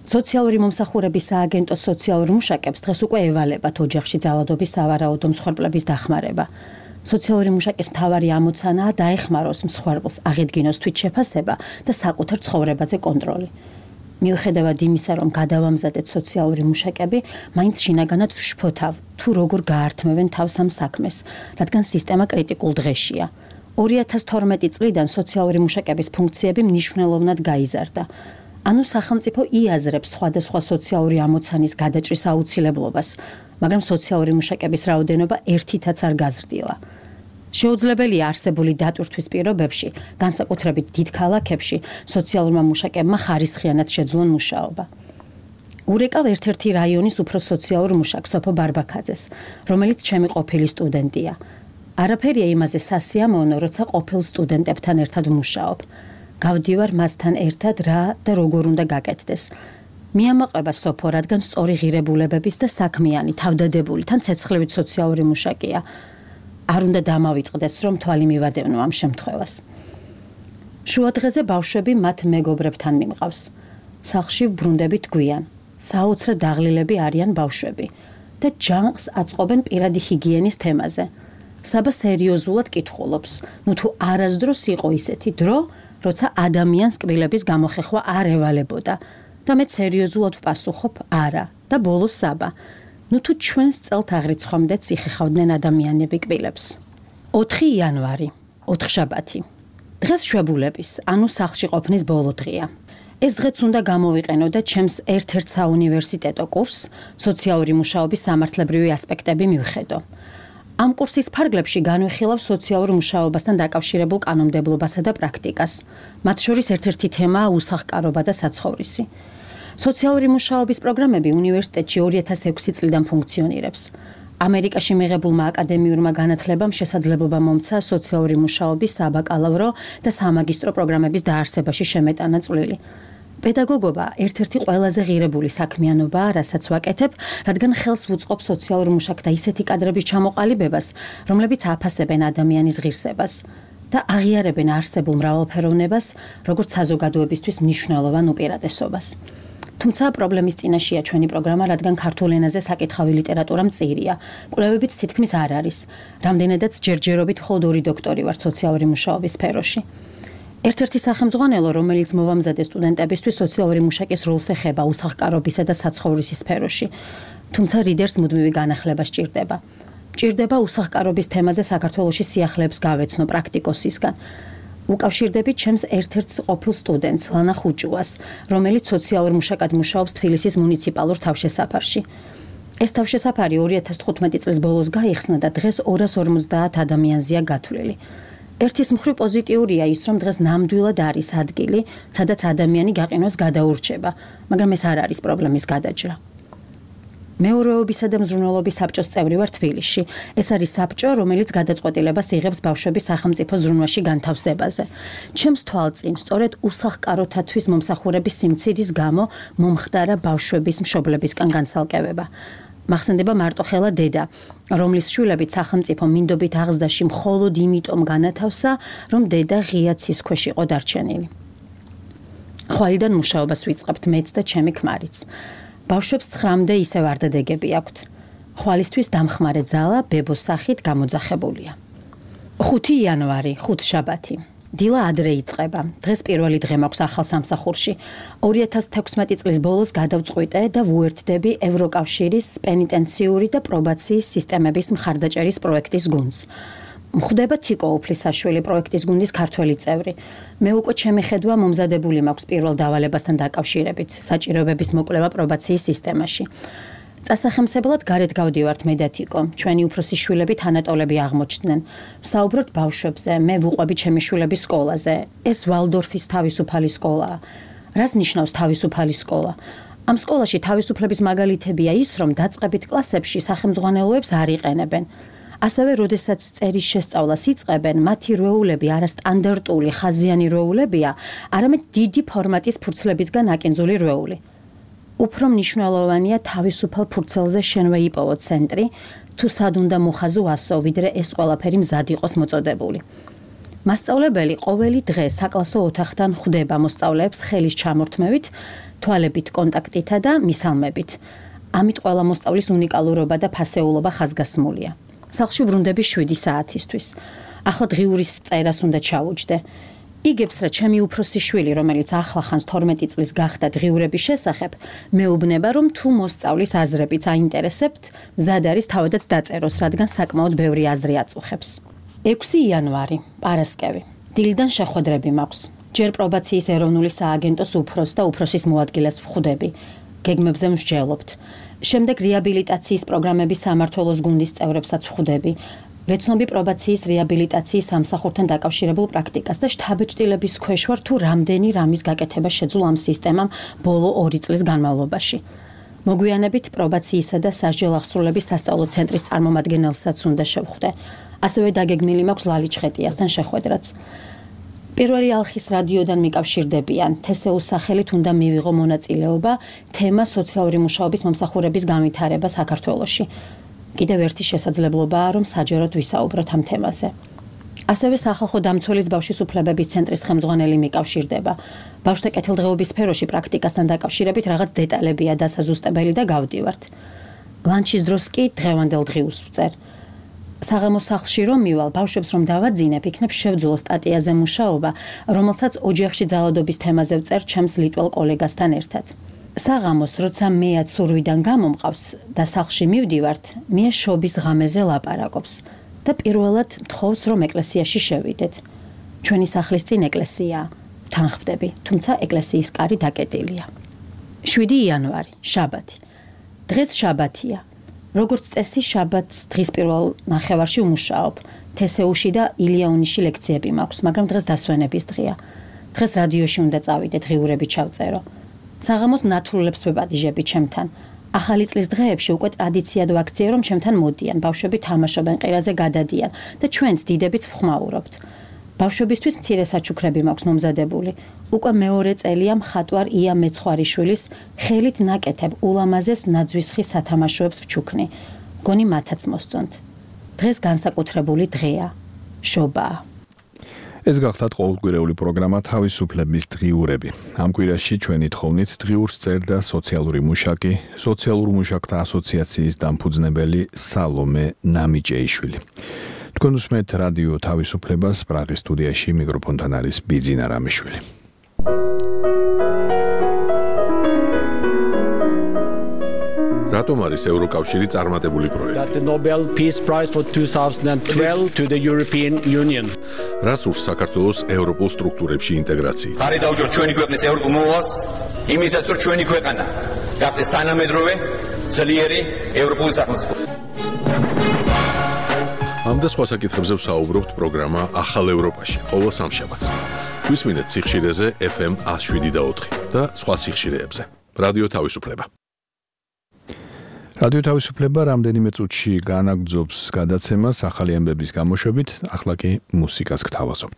სოციალური მომსახურების სააგენტოს სოციალურ მუშაკებს დღეს უკვე ევალებათ ოჯახში ძალადობის სავარაუდო მსხვერპლების დახმარება. სოციალური მუშაკის მთავარი ამოცანაა დაეხმაროს მსხვერპლს, აღედგინოს თვითშეფასება და საკუთარ ცხოვრებაზე კონტროლი. მიუხედავად იმისა, რომ გადავამზადეთ სოციალური მუშაკები, მაინც შინაგანად ვშფოთავ, თუ როგორ გაართმევენ თავს ამ საქმეს, რადგან სისტემა კრიტიკულ დღეშია. 2012 წლიდან სოციალური მუშაკების ფუნქციები მნიშვნელოვნად გაიზარდა. ანუ სახელმწიფო იაზრებს სხვადასხვა სოციალური ამოცანის გადაჭრის აუცილებლობას, მაგრამ სოციალური მუშაკების რაოდენობა ერთითაც არ გაზრდილა. შეუძლებელია არსებული დატვირთვის პირობებში, განსაკუთრებით დიდ ქალაქებში, სოციალურმა მუშაკებმა ხარისხიანად შეძლონ მუშაობა. ურეკავ ერთ-ერთი რაიონის უფრო სოციალურ მუშაკს, სოფო ბარბაქაძეს, რომელიც ჩემი ყოფილი სტუდენტია. არაფერია იმაზე სასიამოვნო, როცა ყოფილ სტუდენტებთან ერთად ვმუშაობ. გავდივარ მასთან ერთად რა და როგორ უნდა გაკეთდეს. მიამაყება სოფო, რადგან სწორი ღირებულებების და საქმიანი, თავდადებული, თან ცეცხლივით სოციალური მუშაკია. არ უნდა დამავიწყდეს, რომ თვალი მივადევნო ამ შემთხვევას. შუადღეზე ბავშვები მათ მეგობრებთან მიმყავს. სახლში ვბრუნდებით გვიან. საოცრად დაღლილები არიან ბავშვები და ჯანყს აწყობენ პირადი ჰიგიენის თემაზე. საბა სერიოზულად კითხულობს, ნუ თუ არასდროს იყო ისეთი დრო, როცა ადამიანს კბილების გამოხეხვა არ ევალებოდა და მე სერიოზულად ვპასუხობ არა და ბოლოს საბა. ნუ თუ ჩვენს წელთ აღრიცხვამდეც იხეხავდნენ ადამიანები კბილებს. 4 იანვარი, ოთხშაბათი. დღეს შვებულების, ანუ სახლში ყოფნის ბოლო დღეა. ეს დღეც უნდა გამოვიყენო და ჩემს ერთ-ერთ საუნივერსიტეტო კურსს, სოციალური მუშაობის სამართლებრივი ასპექტები მივხედო. ამ კურსის ფარგლებში განვიხილავ სოციალურ მუშაობასთან დაკავშირებულ კანონმდებლობასა და პრაქტიკას. მათ შორის ერთ-ერთი თემაა უსახლკარობა და საცხოვრისი. სოციალური მუშაობის პროგრამები უნივერსიტეტში 2006 წლიდან ფუნქციონირებს. ამერიკაში მიღებულმა აკადემიურმა განათლებამ შესაძლებლობა მომცა სოციალური მუშაობის საბაკალავრო და სამაგისტრო პროგრამების დაარსებაში შემეტანა წვლილი. პედაგოგობა ერთ-ერთი ყველაზე ღირებული საქმიანობაა, რასაც ვაკეთებ, რადგან ხელს ვუწყობ სოციალურ მუშაკთა ისეთი კადრების ჩამოყალიბებას, რომლებიც აფასებენ ადამიანის ღირსებას და აღიარებენ არსებულ მრავალფეროვნებას, როგორც საზოგადოებისთვის მნიშვნელოვან უპირატესობას. თუმცა პრობლემის წინაშეა ჩვენი პროგრამა, რადგან ქართულ ენაზე საკითხავი ლიტერატურა მწირია. კვლევებიც თითქმის არ არის. რამდენადაც ჯერჯერობით მხოლოდ 2 დოქტორი ვარ სოციალური მუშაობის სფეროში. ერთ-ერთი სახელმძღვანელო, რომელიც მოვამზადე სტუდენტებისთვის სოციალური მუშაკის როლს ეხება უსახლკარობისა და საცხოვრისის სფეროში. თუმცა რიდერს მუდმივი განახლება სჭირდება. სჭირდება უსახლკარობის თემაზე საქართველოში სიახლეებს გავეცნო პრაქტიკოსისგან. უკავშირდებით ჩემს ერთ-ერთ ყოფილ სტუდენტს, ლანა ხუჭუას, რომელიც სოციალურ მუშაკად მუშაობს თბილისის მუნიციპალურ თავშესაფარში. ეს თავშესაფარი 2015 წლის ბოლოს გაიხსნა და დღეს 250 ადამიანზეა გათვლილი. ერთის მხრივ პოზიტიურია ის, რომ დღეს ნამდვილად არის ადგილი, სადაც ადამიანი გაყინოს გადაურჩება, მაგრამ ეს არ არის პრობლემის გადაჭრა. მეურვეობისა და მზრუნველობის საბჭოს წევრი ვარ თბილისში. ეს არის საბჭო, რომელიც გადაწყვეტილებას იღებს ბავშვების სახელმწიფო ზრუნვაში განთავსებაზე. ჩემს თვალწინ, სწორედ უსახკაროთათვის მომსახურების სიმცირის გამო მომხდარა ბავშვების მშობლებისგან განცალკევება. მახსენდება მარტოხელა დედა, რომლის შვილებით სახელმწიფო მინდობით აღზრდაში მხოლოდ იმიტომ განათავსა, რომ დედა ღია ცის ქვეშ იყო დარჩენილი. ხვალიდან მუშაობას ვიწყებთ მეც და ჩემი ქმარიც. ბავშვებს 9-მდე ისევ არდადეგები აქვთ. ხვალისთვის დამხმარე ძალა ბებოს სახით გამოძახებულია. 5 იანვარი, ხუთშაბათი. დილა ადრე იწყება. დღეს პირველი დღე მაქვს ახალ სამსახურში. 2016 წლის ბოლოს გადავწყვიტე და ვუერთდები ევროკავშირის პენიტენციური და პრობაციის სისტემების მხარდაჭერის პროექტის გუნდს. მხვდება თიკო უფლისაშვილი პროექტის გუნდის ქართველი წევრი. მე უკვე ჩემი ხედვა მომზადებული მაქვს პირველ დავალებასთან დაკავშირებით, საჭიროებების მოკვლევა პრობაციის სისტემაში. წასახემსებლად გარეთ გავდივართ მე და თიკო. ჩვენი უფროსი შვილები თანატოლები აღმოჩნდნენ. ვსაუბრობთ ბავშვებზე, მე ვუყვები ჩემი შვილების სკოლაზე. ეს ვალდორფის თავისუფალი სკოლაა. რას ნიშნავს თავისუფალი სკოლა? ამ სკოლაში თავისუფლების მაგალითებია ის, რომ დაწყებით კლასებში სახელმძღვანელოებს არ იყენებენ. ასევე, როდესაც წერის შესწავლას იწყებენ, მათი რვეულები არასტანდარტული ხაზიანი რვეულებია, არამედ დიდი ფორმატის ფურცლებისგან აკინძული რვეული. უფრო მნიშვნელოვანია თავისუფალ ფურცელზე შენვე იპოვო ცენტრი, თუ სად უნდა მოხაზო ასო, ვიდრე ეს ყველაფერი მზად იყოს მოწოდებული. მასწავლებელი ყოველი დღე საკლასო ოთახთან ხვდება მოსწავლეებს ხელის ჩამორთმევით, თვალებით კონტაქტითა და მისალმებით. ამით ყველა მოსწავლის უნიკალურობა და ფასეულობა ხაზგასმულია. სახლში ვრუნდები 7 საათისთვის. ახლა დღიურის წერას უნდა ჩავუჯდე. იგებს რა ჩემი უფროსი შვილი, რომელიც ახლახანს 12 წლის გახდა დღიურების შესახებ, მეუბნება, რომ თუ მოსწავლის აზრებიც აინტერესებთ, მზად არის თავადაც დაწეროს, რადგან საკმაოდ ბევრი აზრი აწუხებს. 6 იანვარი, პარასკევი. დილიდან შეხვედრები მაქვს. ჯერ პრობაციის ეროვნული სააგენტოს უფროს და უფროსის მოადგილეს ვხვდები. გეგმებზე მსჯელობთ. შემდეგ რეაბილიტაციის პროგრამების სამმართველოს გუნდის წევრებსაც ვხვდები. ვეცნობი პრობაციის რეაბილიტაციის სამსახურთან დაკავშირებულ პრაქტიკას და შთაბეჭდილების ქვეშ ვარ თუ რამდენი რამის გაკეთება შეძლო ამ სისტემამ ბოლო 2 წლის განმავლობაში. მოგვიანებით პრობაციისა და სასჯელ აღსრულების სასწავლო ცენტრის წარმომადგენელსაც უნდა შევხვდე. ასევე დაგეგმილი მაქვს ლალიჩხეტიასთან შეხვედრაც. პირველი ალხის რადიოდან მიკავშირდებიან. თესეუს სახელით უნდა მივიღო მონაწილეობა თემა სოციალური მუშაობის მომსახურების განვითარება საქართველოში. კიდევ ერთი შესაძლებლობაა, რომ საჯაროდ ვისაუბროთ ამ თემაზე. ასევე სახალხო დამცველის ბავშვის უფლებების ცენტრის ხელმძღვანელი მიკავშირდება. ბავშვთა კეთილდღეობის სფეროში პრაქტიკასთან დაკავშირებით რაღაც დეტალებია დასაზუსტებელი და გავდივართ. ლანჩის დროს კი დღევანდელ დღიურს ვწერ. საღამოს სახლში რომ მივალ, ბავშვებს რომ დავაძინებ, იქნებ შევძულო სტატიაზე მუშაობა, რომელსაც ოჯახში ძალადობის თემაზე ვწერ ჩემს ლიტველ კოლეგასთან ერთად. საღამოს, როცა მეაც სურვიდან გამომყავს და სახლში მივდივართ, მია შობის ღამეზე ლაპარაკობს და პირველად თხოვს, რომ ეკლესიაში შევიდეთ. ჩვენი სახლის წინ ეკლესიაა. თან ხვდები, თუმცა ეკლესიის კარი დაკეტილია. 7 იანვარი, შაბათი. დღეს შაბათია. როგორც წესი, შაბათს დღის პირველ ნახევარში ვმუშაობ. თესეუში და ილიანუში ლექციები მაქვს, მაგრამ დღეს დასვენების დღეა. დღეს რადიოში უნდა წავიდე, დღიურები ჩავწერო. საღამოს ნათლულებს ვებადიჟები ჩემთან. ახალი წლის დღეებში უკვე ტრადიციად ვაქციე, რომ ჩემთან მოდიან, ბავშვები თამაშობენ, ყირაზე გადადიან და ჩვენც დიდებიც ვხმაურობთ. ბავშვებისთვის მცირე საჩუქრები მაქვს მომზადებული. უკვე მეორე წელია მხატვარ ია მეცხვარიშვილის ხელით ნაკეთებ ულამაზეს ნაძვისხის სათამაშოებს ვჩუქნი. გონი მათაც მოსწონთ. დღეს განსაკუთრებული დღეა. შობაა. ეს გახდათ ყოველკვირეული პროგრამა თავისუფლების დღიურები. ამ კვირაში ჩვენი თხოვნით დღიურს წერდა სოციალური მუშაკი, სოციალურ მუშაკთა ასოციაციის დამფუძნებელი სალომე ნამიჭეიშვილი. თქვენ უსმენთ რადიო თავისუფლებას, პრაღის სტუდიაში მიკროფონთან არის ბიძინა რამიშვილი. რატომ არის ევროკავშირი წარმატებული პროექტი? The Nobel Peace Prize for 2012 to the European Union. რას სურს საქართველოს ევროპულ სტრუქტურებში ინტეგრაცია? ხარი დავუჯოთ ჩვენი ქვეყნის ევროპულ მოვალს, იმისაც რომ ჩვენი ქვეყანა გახდეს თანამედროვე ძლიერი ევროპული სახელმწიფო. ამ და სხვა საკითხებზე ვსაუბრობთ პროგრამა ახალ ევროპაში ყოველ სამშაბათს. გვისმინეთ სიხშირეზე FM 107.4 და სხვა სიხშირეებზე. რადიო თავისუფლება. რადიო თავისუფლება რამდენიმე წუთში განაგრძობს გადაცემას ახალი ამბების გამოშვებით, ახლა კი მუსიკას გთავაზობთ.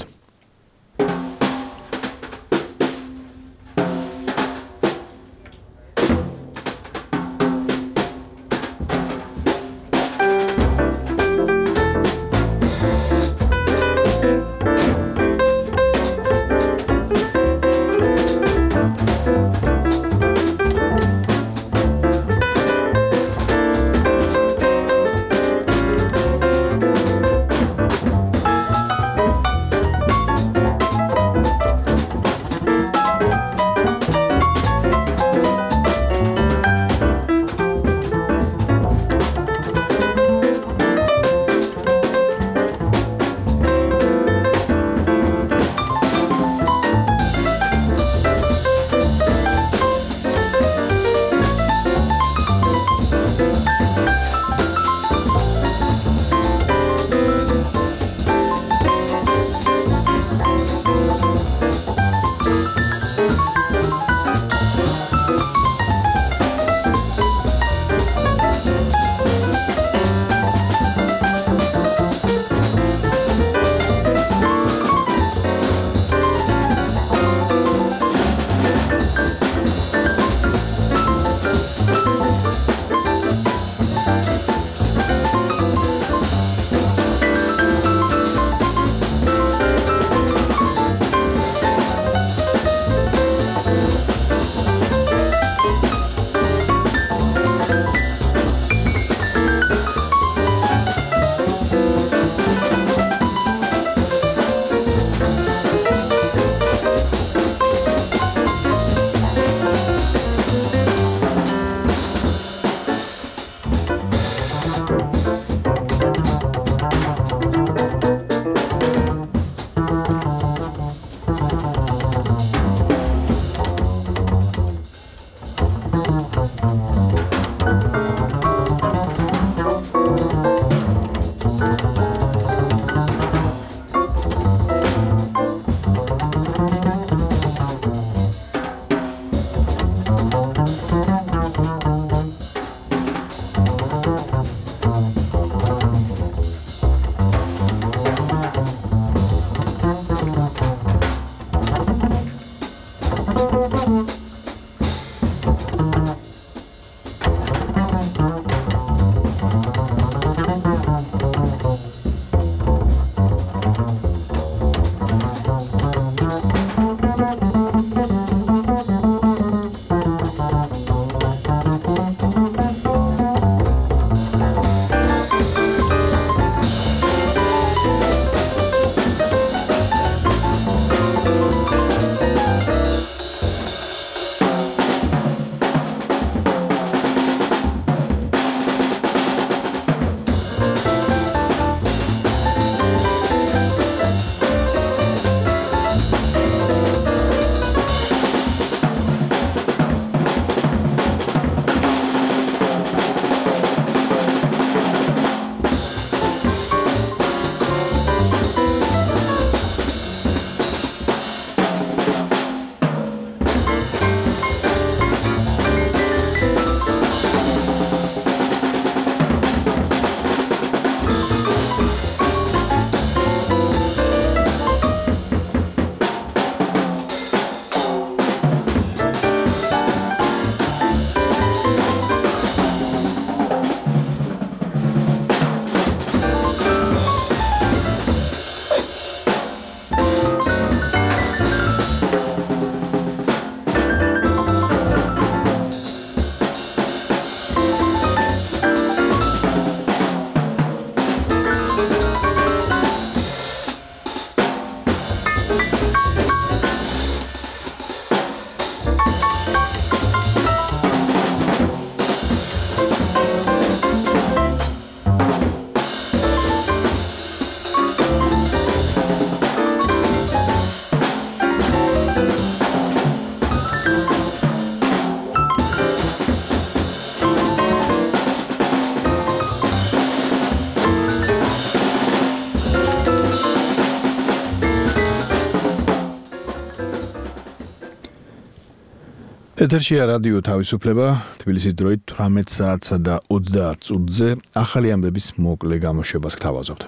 ეთერშია რადიო თავისუფლება, თბილისის დროით 18 საათსა და 30 წუთზე ახალი ამბების მოკლე გამოშვებას გთავაზობთ.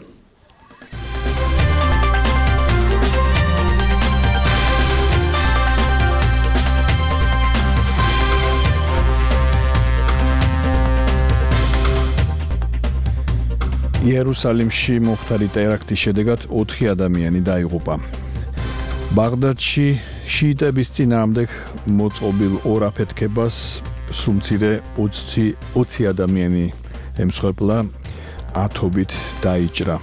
იერუსალიმში მომხდარი ტერაქტის შედეგად 4 ადამიანი დაიღუპა. ბაღდადში შიიტების წინააღმდეგ მოწყობილ ორ აფეთქებას სუმცირე 20 ადამიანი ემსხვერპლა, ათობით დაიჭრა.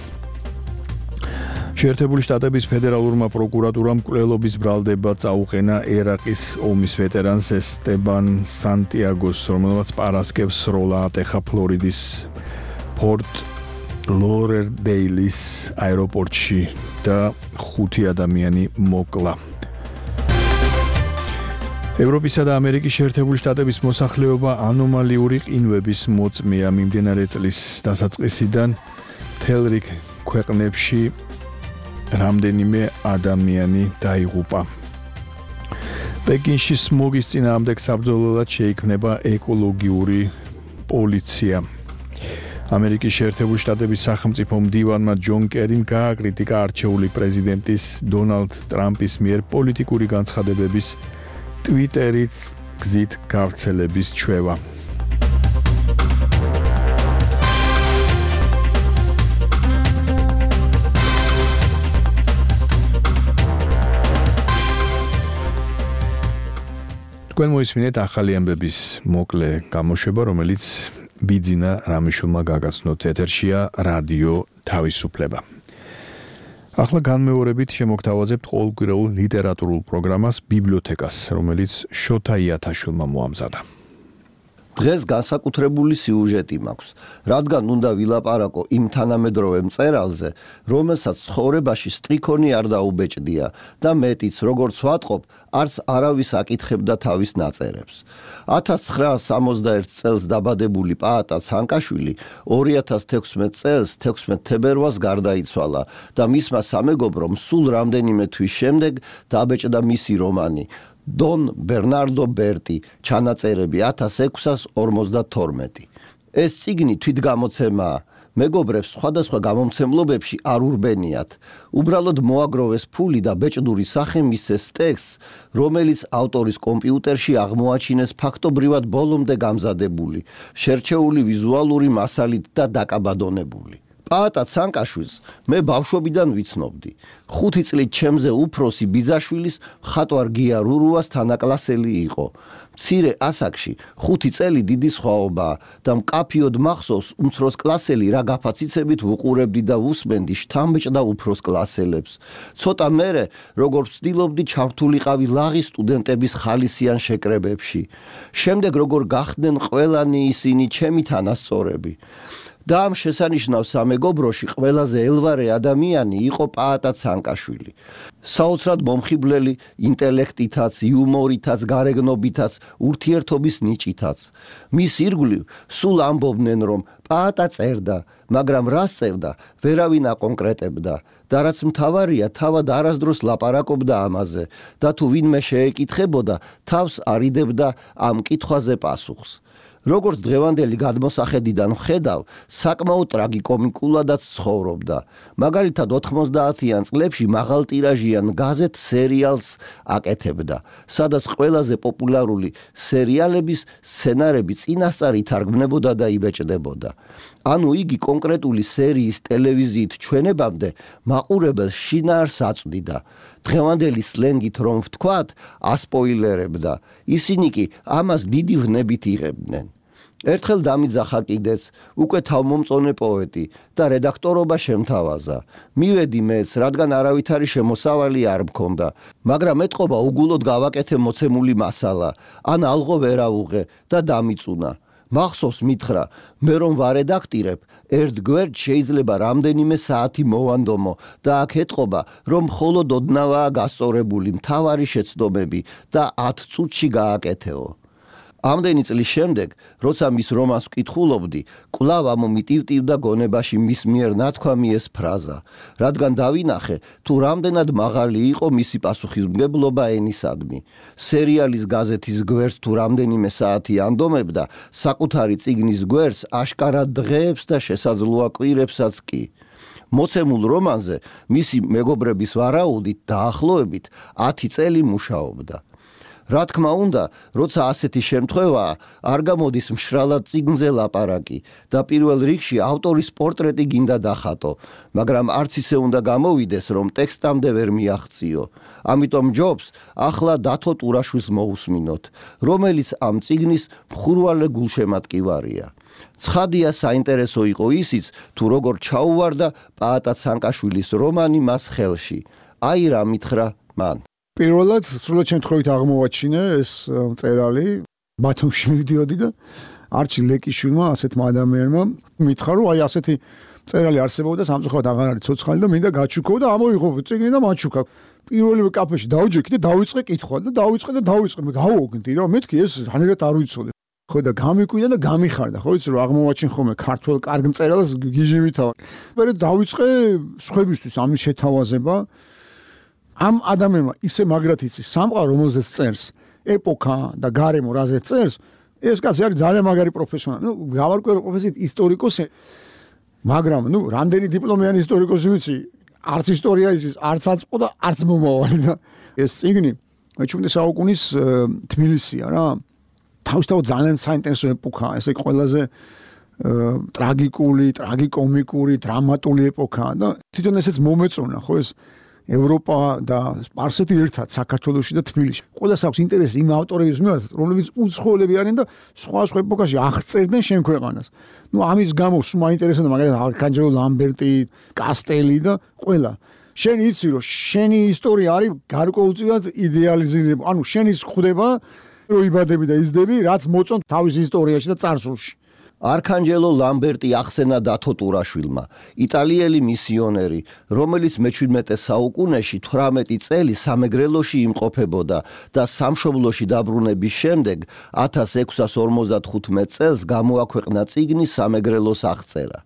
შეერთებული შტატების ფედერალურმა პროკურატურამ მკვლელობის ბრალდება წაუყენა ერაყის ომის ვეტერანს ესტებან სანტიაგოს, რომელმაც პარასკევს სროლა ატეხა ფლორიდის პორტ ლორერდეილის აეროპორტში და 5 ადამიანი მოკლა. ევროპისა და ამერიკის შეერთებული შტატების მოსახლეობა ანომალიური ყინვების მოწმეა მიმდინარე წლის დასაწყისიდან მთელ რიგ ქვეყნებში რამდენიმე ადამიანი დაიღუპა. პეკინში სმოგის წინააღმდეგ საბრძოლველად შეიქმნება ეკოლოგიური პოლიცია. ამერიკის შეერთებული შტატების სახელმწიფო მდივანმა ჯონ კერიმ გააკრიტიკა არჩეული პრეზიდენტის დონალდ ტრამპის მიერ პოლიტიკური განცხადებების ტვიტერის გზით გავრცელების ჩვევა. თქვენ მოისმინეთ ახალი ამბების მოკლე გამოშვება, რომელიც ბიძინა რამიშულმა გაგაცნოთ. ეთერშია რადიო თავისუფლება. ახლა განმეორებით შემოგთავაზებთ ყოველკვირეულ ლიტერატურულ პროგრამას ბიბლიოთეკას, რომელიც შოთა იათაშვილმა მოამზადა. დღეს განსაკუთრებული სიუჟეტი მაქვს, რადგან უნდა ვილაპარაკო იმ თანამედროვე მწერალზე, რომელსაც ცხოვრებაში სტრიქონი არ დაუბეჭდია და მეტიც, როგორც ვატყობ, არც არავის აკითხებდა თავის ნაწერებს. 1961 წელს დაბადებული პაატა ცანკაშვილი 2016 წელს 16 თებერვალს გარდაიცვალა და მისმა სამეგობრომ სულ რამდენიმე თვის შემდეგ დაბეჭდა მისი რომანი დონ ბერნარდო ბერტი, ჩანაწერები 1652. ეს წიგნი თვითგამოცემაა. მეგობრებს სხვადასხვა გამომცემლობებში არ ურბენიათ. უბრალოდ მოაგროვეს ფული და ბეჭდური სახე მისცეს ტექსტს, რომელიც ავტორის კომპიუტერში აღმოაჩინეს ფაქტობრივად ბოლომდე გამზადებული, შერჩეული ვიზუალური მასალით და დაკაბადონებული. პაატა ცანკაშვილს მე ბავშვობიდან ვიცნობდი. 5 წლით ჩემზე უფროსი ბიძაშვილის მხატვარ გია რურუას თანაკლასელი იყო. მცირე ასაკში 5 წელი დიდი სხვაობაა და მკაფიოდ მახსოვს უმცროს კლასელი რა გაფაციცებით ვუყურებდი და ვუსმენდი შთამბეჭდა უფროს კლასელებს. ცოტა მერე როგორ ვცდილობდი ჩართულიყავი ლაღის სტუდენტების ხალისიან შეკრებებში. შემდეგ როგორ გახდნენ ყველანი ისინი ჩემი თანასწორები. და ამ შესანიშნავ სამეგობროში ყველაზე ელვარე ადამიანი იყო პაატა ცანკაშვილი. საოცრად მომხიბვლელი ინტელექტითაც, იუმორითაც, გარეგნობითაც, ურთიერთობის ნიჭითაც. მის ირგვლივ სულ ამბობდნენ, რომ პაატა წერდა, მაგრამ რას წერდა, ვერავინ აკონკრეტებდა და რაც მთავარია, თავად არასდროს ლაპარაკობდა ამაზე და თუ ვინმე შეეკითხებოდა, თავს არიდებდა ამ კითხვაზე პასუხს. როგორც დღევანდელი გადმოსახედიდან ვხედავ, საკმაოდ ტრაგიკომიკულადაც ცხოვრობდა. მაგალითად 90-იან წლებში მაღალტირაჟიან გაზეთ სერიალს აკეთებდა, სადაც ყველაზე პოპულარული სერიალების სცენარები წინასწარ ითარგმნებოდა და იბეჭდებოდა. ანუ იგი კონკრეტული სერიის ტელევიზიით ჩვენებამდე მაყურებელს შინაარს აწვდიდა. დღევანდელი სლენგით რომ ვთქვათ, ასპოილერებდა. ისინი კი ამას დიდი ვნებით იღებდნენ. ერთხელ დამიძახა კიდეც, უკვე თავმომწონე პოეტი და რედაქტორობა შემთავაზა. მივედი მეც, რადგან არავითარი შემოსავალი არ მქონდა, მაგრამ ეთყობა უგულოდ გავაკეთე მოცემული მასალა, ან ალღო ვერავუღე და დამიწუნა. მახსოვს მითხრა, მე რომ ვარედაქტირებ, ერთ გვერდ შეიძლება რამდენიმე საათი მოვანდომო და აქ ეთყობა, რომ მხოლოდ ოდნავაა გასწორებული მთავარი შეცდომები და 10 წუთში გააკეთეო. ამდენი წლის შემდეგ, როცა მის რომანს ვკითხულობდი, კვლავ ამომიტივტივდა გონებაში მის მიერ ნათქვამი ეს ფრაზა, რადგან დავინახე, თუ რამდენად მაღალი იყო მისი პასუხისმგებლობა ენისადმი. სერიალის გაზეთის გვერდს თუ რამდენიმე საათი ანდომებდა, საკუთარი წიგნის გვერდს აშკარად დღეებს და შესაძლოა კვირებსაც კი. მოცემულ რომანზე მისი მეგობრების ვარაუდით დაახლოებით 10 წელი მუშაობდა. რა თქმა უნდა, როცა ასეთი შემთხვევაა, არ გამოდის მშრალად წიგნზე ლაპარაკი და პირველ რიგში ავტორის პორტრეტი გინდა დახატო, მაგრამ არც ისე უნდა გამოვიდეს, რომ ტექსტამდე ვერ მიაღწიო. ამიტომ ჯობს ახლა დათო ტურაშვილს მოусმინოთ, რომელიც ამ წიგნის მხურვალე გულშემატკივარია. ცხადია, საინტერესო იყო ისიც, თუ როგორ ჩაუვარდა პაატა ცანკაშვილის რომანი მას ხელში. აი რა მითხრა მან. პირველად სრულად შემთხვევით აღმოვაჩინე ეს მწერალი, ბათუმში მივდიოდი და არჩი ლეკიშვილმა, ასეთმა ადამიანმა მითხრა, რომ აი ასეთი მწერალი არსებობდა, სამწუხაროდ აღარ არის ცოცხალი და მინდა გაჩუქო და ამოიღო წიგნი და მაჩუქა. პირველივე კაფეში დავიჯექი და დავიწყე კითხვა და დავიწყე, მე გავაოგნდი რა, მეთქი ეს რანერად არ ვიცოდი. ხო და გამიკვიდა და გამიხარდა, ხო იცი რომ აღმოვაჩინ ხოლმე ქართულ კარგ მწერალს გიჟივითავ. მე დავიწყე სხვებისთვის ამის შეთავაზება. ამ ადამიანმა ისე მაგრად იცის სამყარო, რომელზეც წერს, ეპოქა და გარემო რაზეც წერს, ეს კაცი არის ძალიან მაგარი პროფესიონალი. გავარკვევ პროფესიით ისტორიკოსი, მაგრამ რამდენი დიპლომიანი ისტორიკოსი ვიცი, არც ისტორია იცის, არც აწმყო და არც მომავალი და ეს წიგნი 17 საუკუნის თბილისია რა. თავისთავად ძალიან საინტერესო ეპოქაა, ესე ყველაზე ტრაგიკული, ტრაგიკომიკური, დრამატული ეპოქაა და თვითონ ესეც მომეწონა, ხო ეს ევროპა და სპარსეთი ერთად საქართველოში და თბილისში. ყველას აქვს ინტერესი იმ ავტორების მიმართ, რომლებიც უცხოელები არიან და სხვა ეპოქაში აღწერდნენ შენ ქვეყანას. ამის გამო სულ მაინტერესებდა მაგალითად არქანჯელო ლამბერტი, კასტელი და ყველა. შენ იცი რომ შენი ისტორია არის გარკვეულწილად იდეალიზირებული. შენი ხვდება რომ იბადები და იზრდები, რაც მოწონთ თავის ისტორიაში და წარსულში. არქანჯელო ლამბერტი ახსენა დათო ტურაშვილმა, იტალიელი მისიონერი, რომელიც მე-17 საუკუნეში 18 წელი სამეგრელოში იმყოფებოდა და სამშობლოში დაბრუნების შემდეგ 1655 წელს გამოაქვეყნა წიგნი სამეგრელოს აღწერა.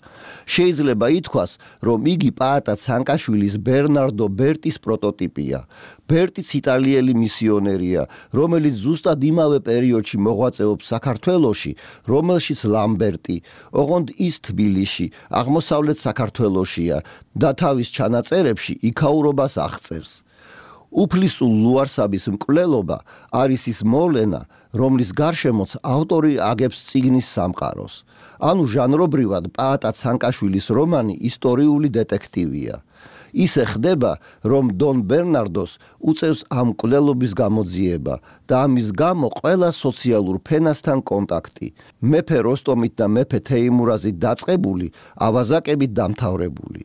შეიძლება ითქვას, რომ იგი პაატა ცანკაშვილის ბერნარდო ბერტის პროტოტიპია. ბერტიც იტალიელი მისიონერია, რომელიც ზუსტად იმავე პერიოდში მოღვაწეობს საქართველოში, რომელშიც ლამბერტი, ოღონდ ის თბილისში, აღმოსავლეთ საქართველოშია და თავის ჩანაწერებში იქაურობას აღწერს. უფლისწულ ლუარსაბის მკვლელობა არის ის მოვლენა, რომლის გარშემოც ავტორი აგებს წიგნის სამყაროს. ანუ ჟანრობრივად პაატა ცანკაშვილის რომანი ისტორიული დეტექტივია. ისე ხდება, რომ დონ ბერნარდოს უწევს ამ მკვლელობის გამოძიება და ამის გამო ყველა სოციალურ ფენასთან კონტაქტი. მეფე როსტომით და მეფე თეიმურაზით დაწყებული, ავაზაკებით დამთავრებული.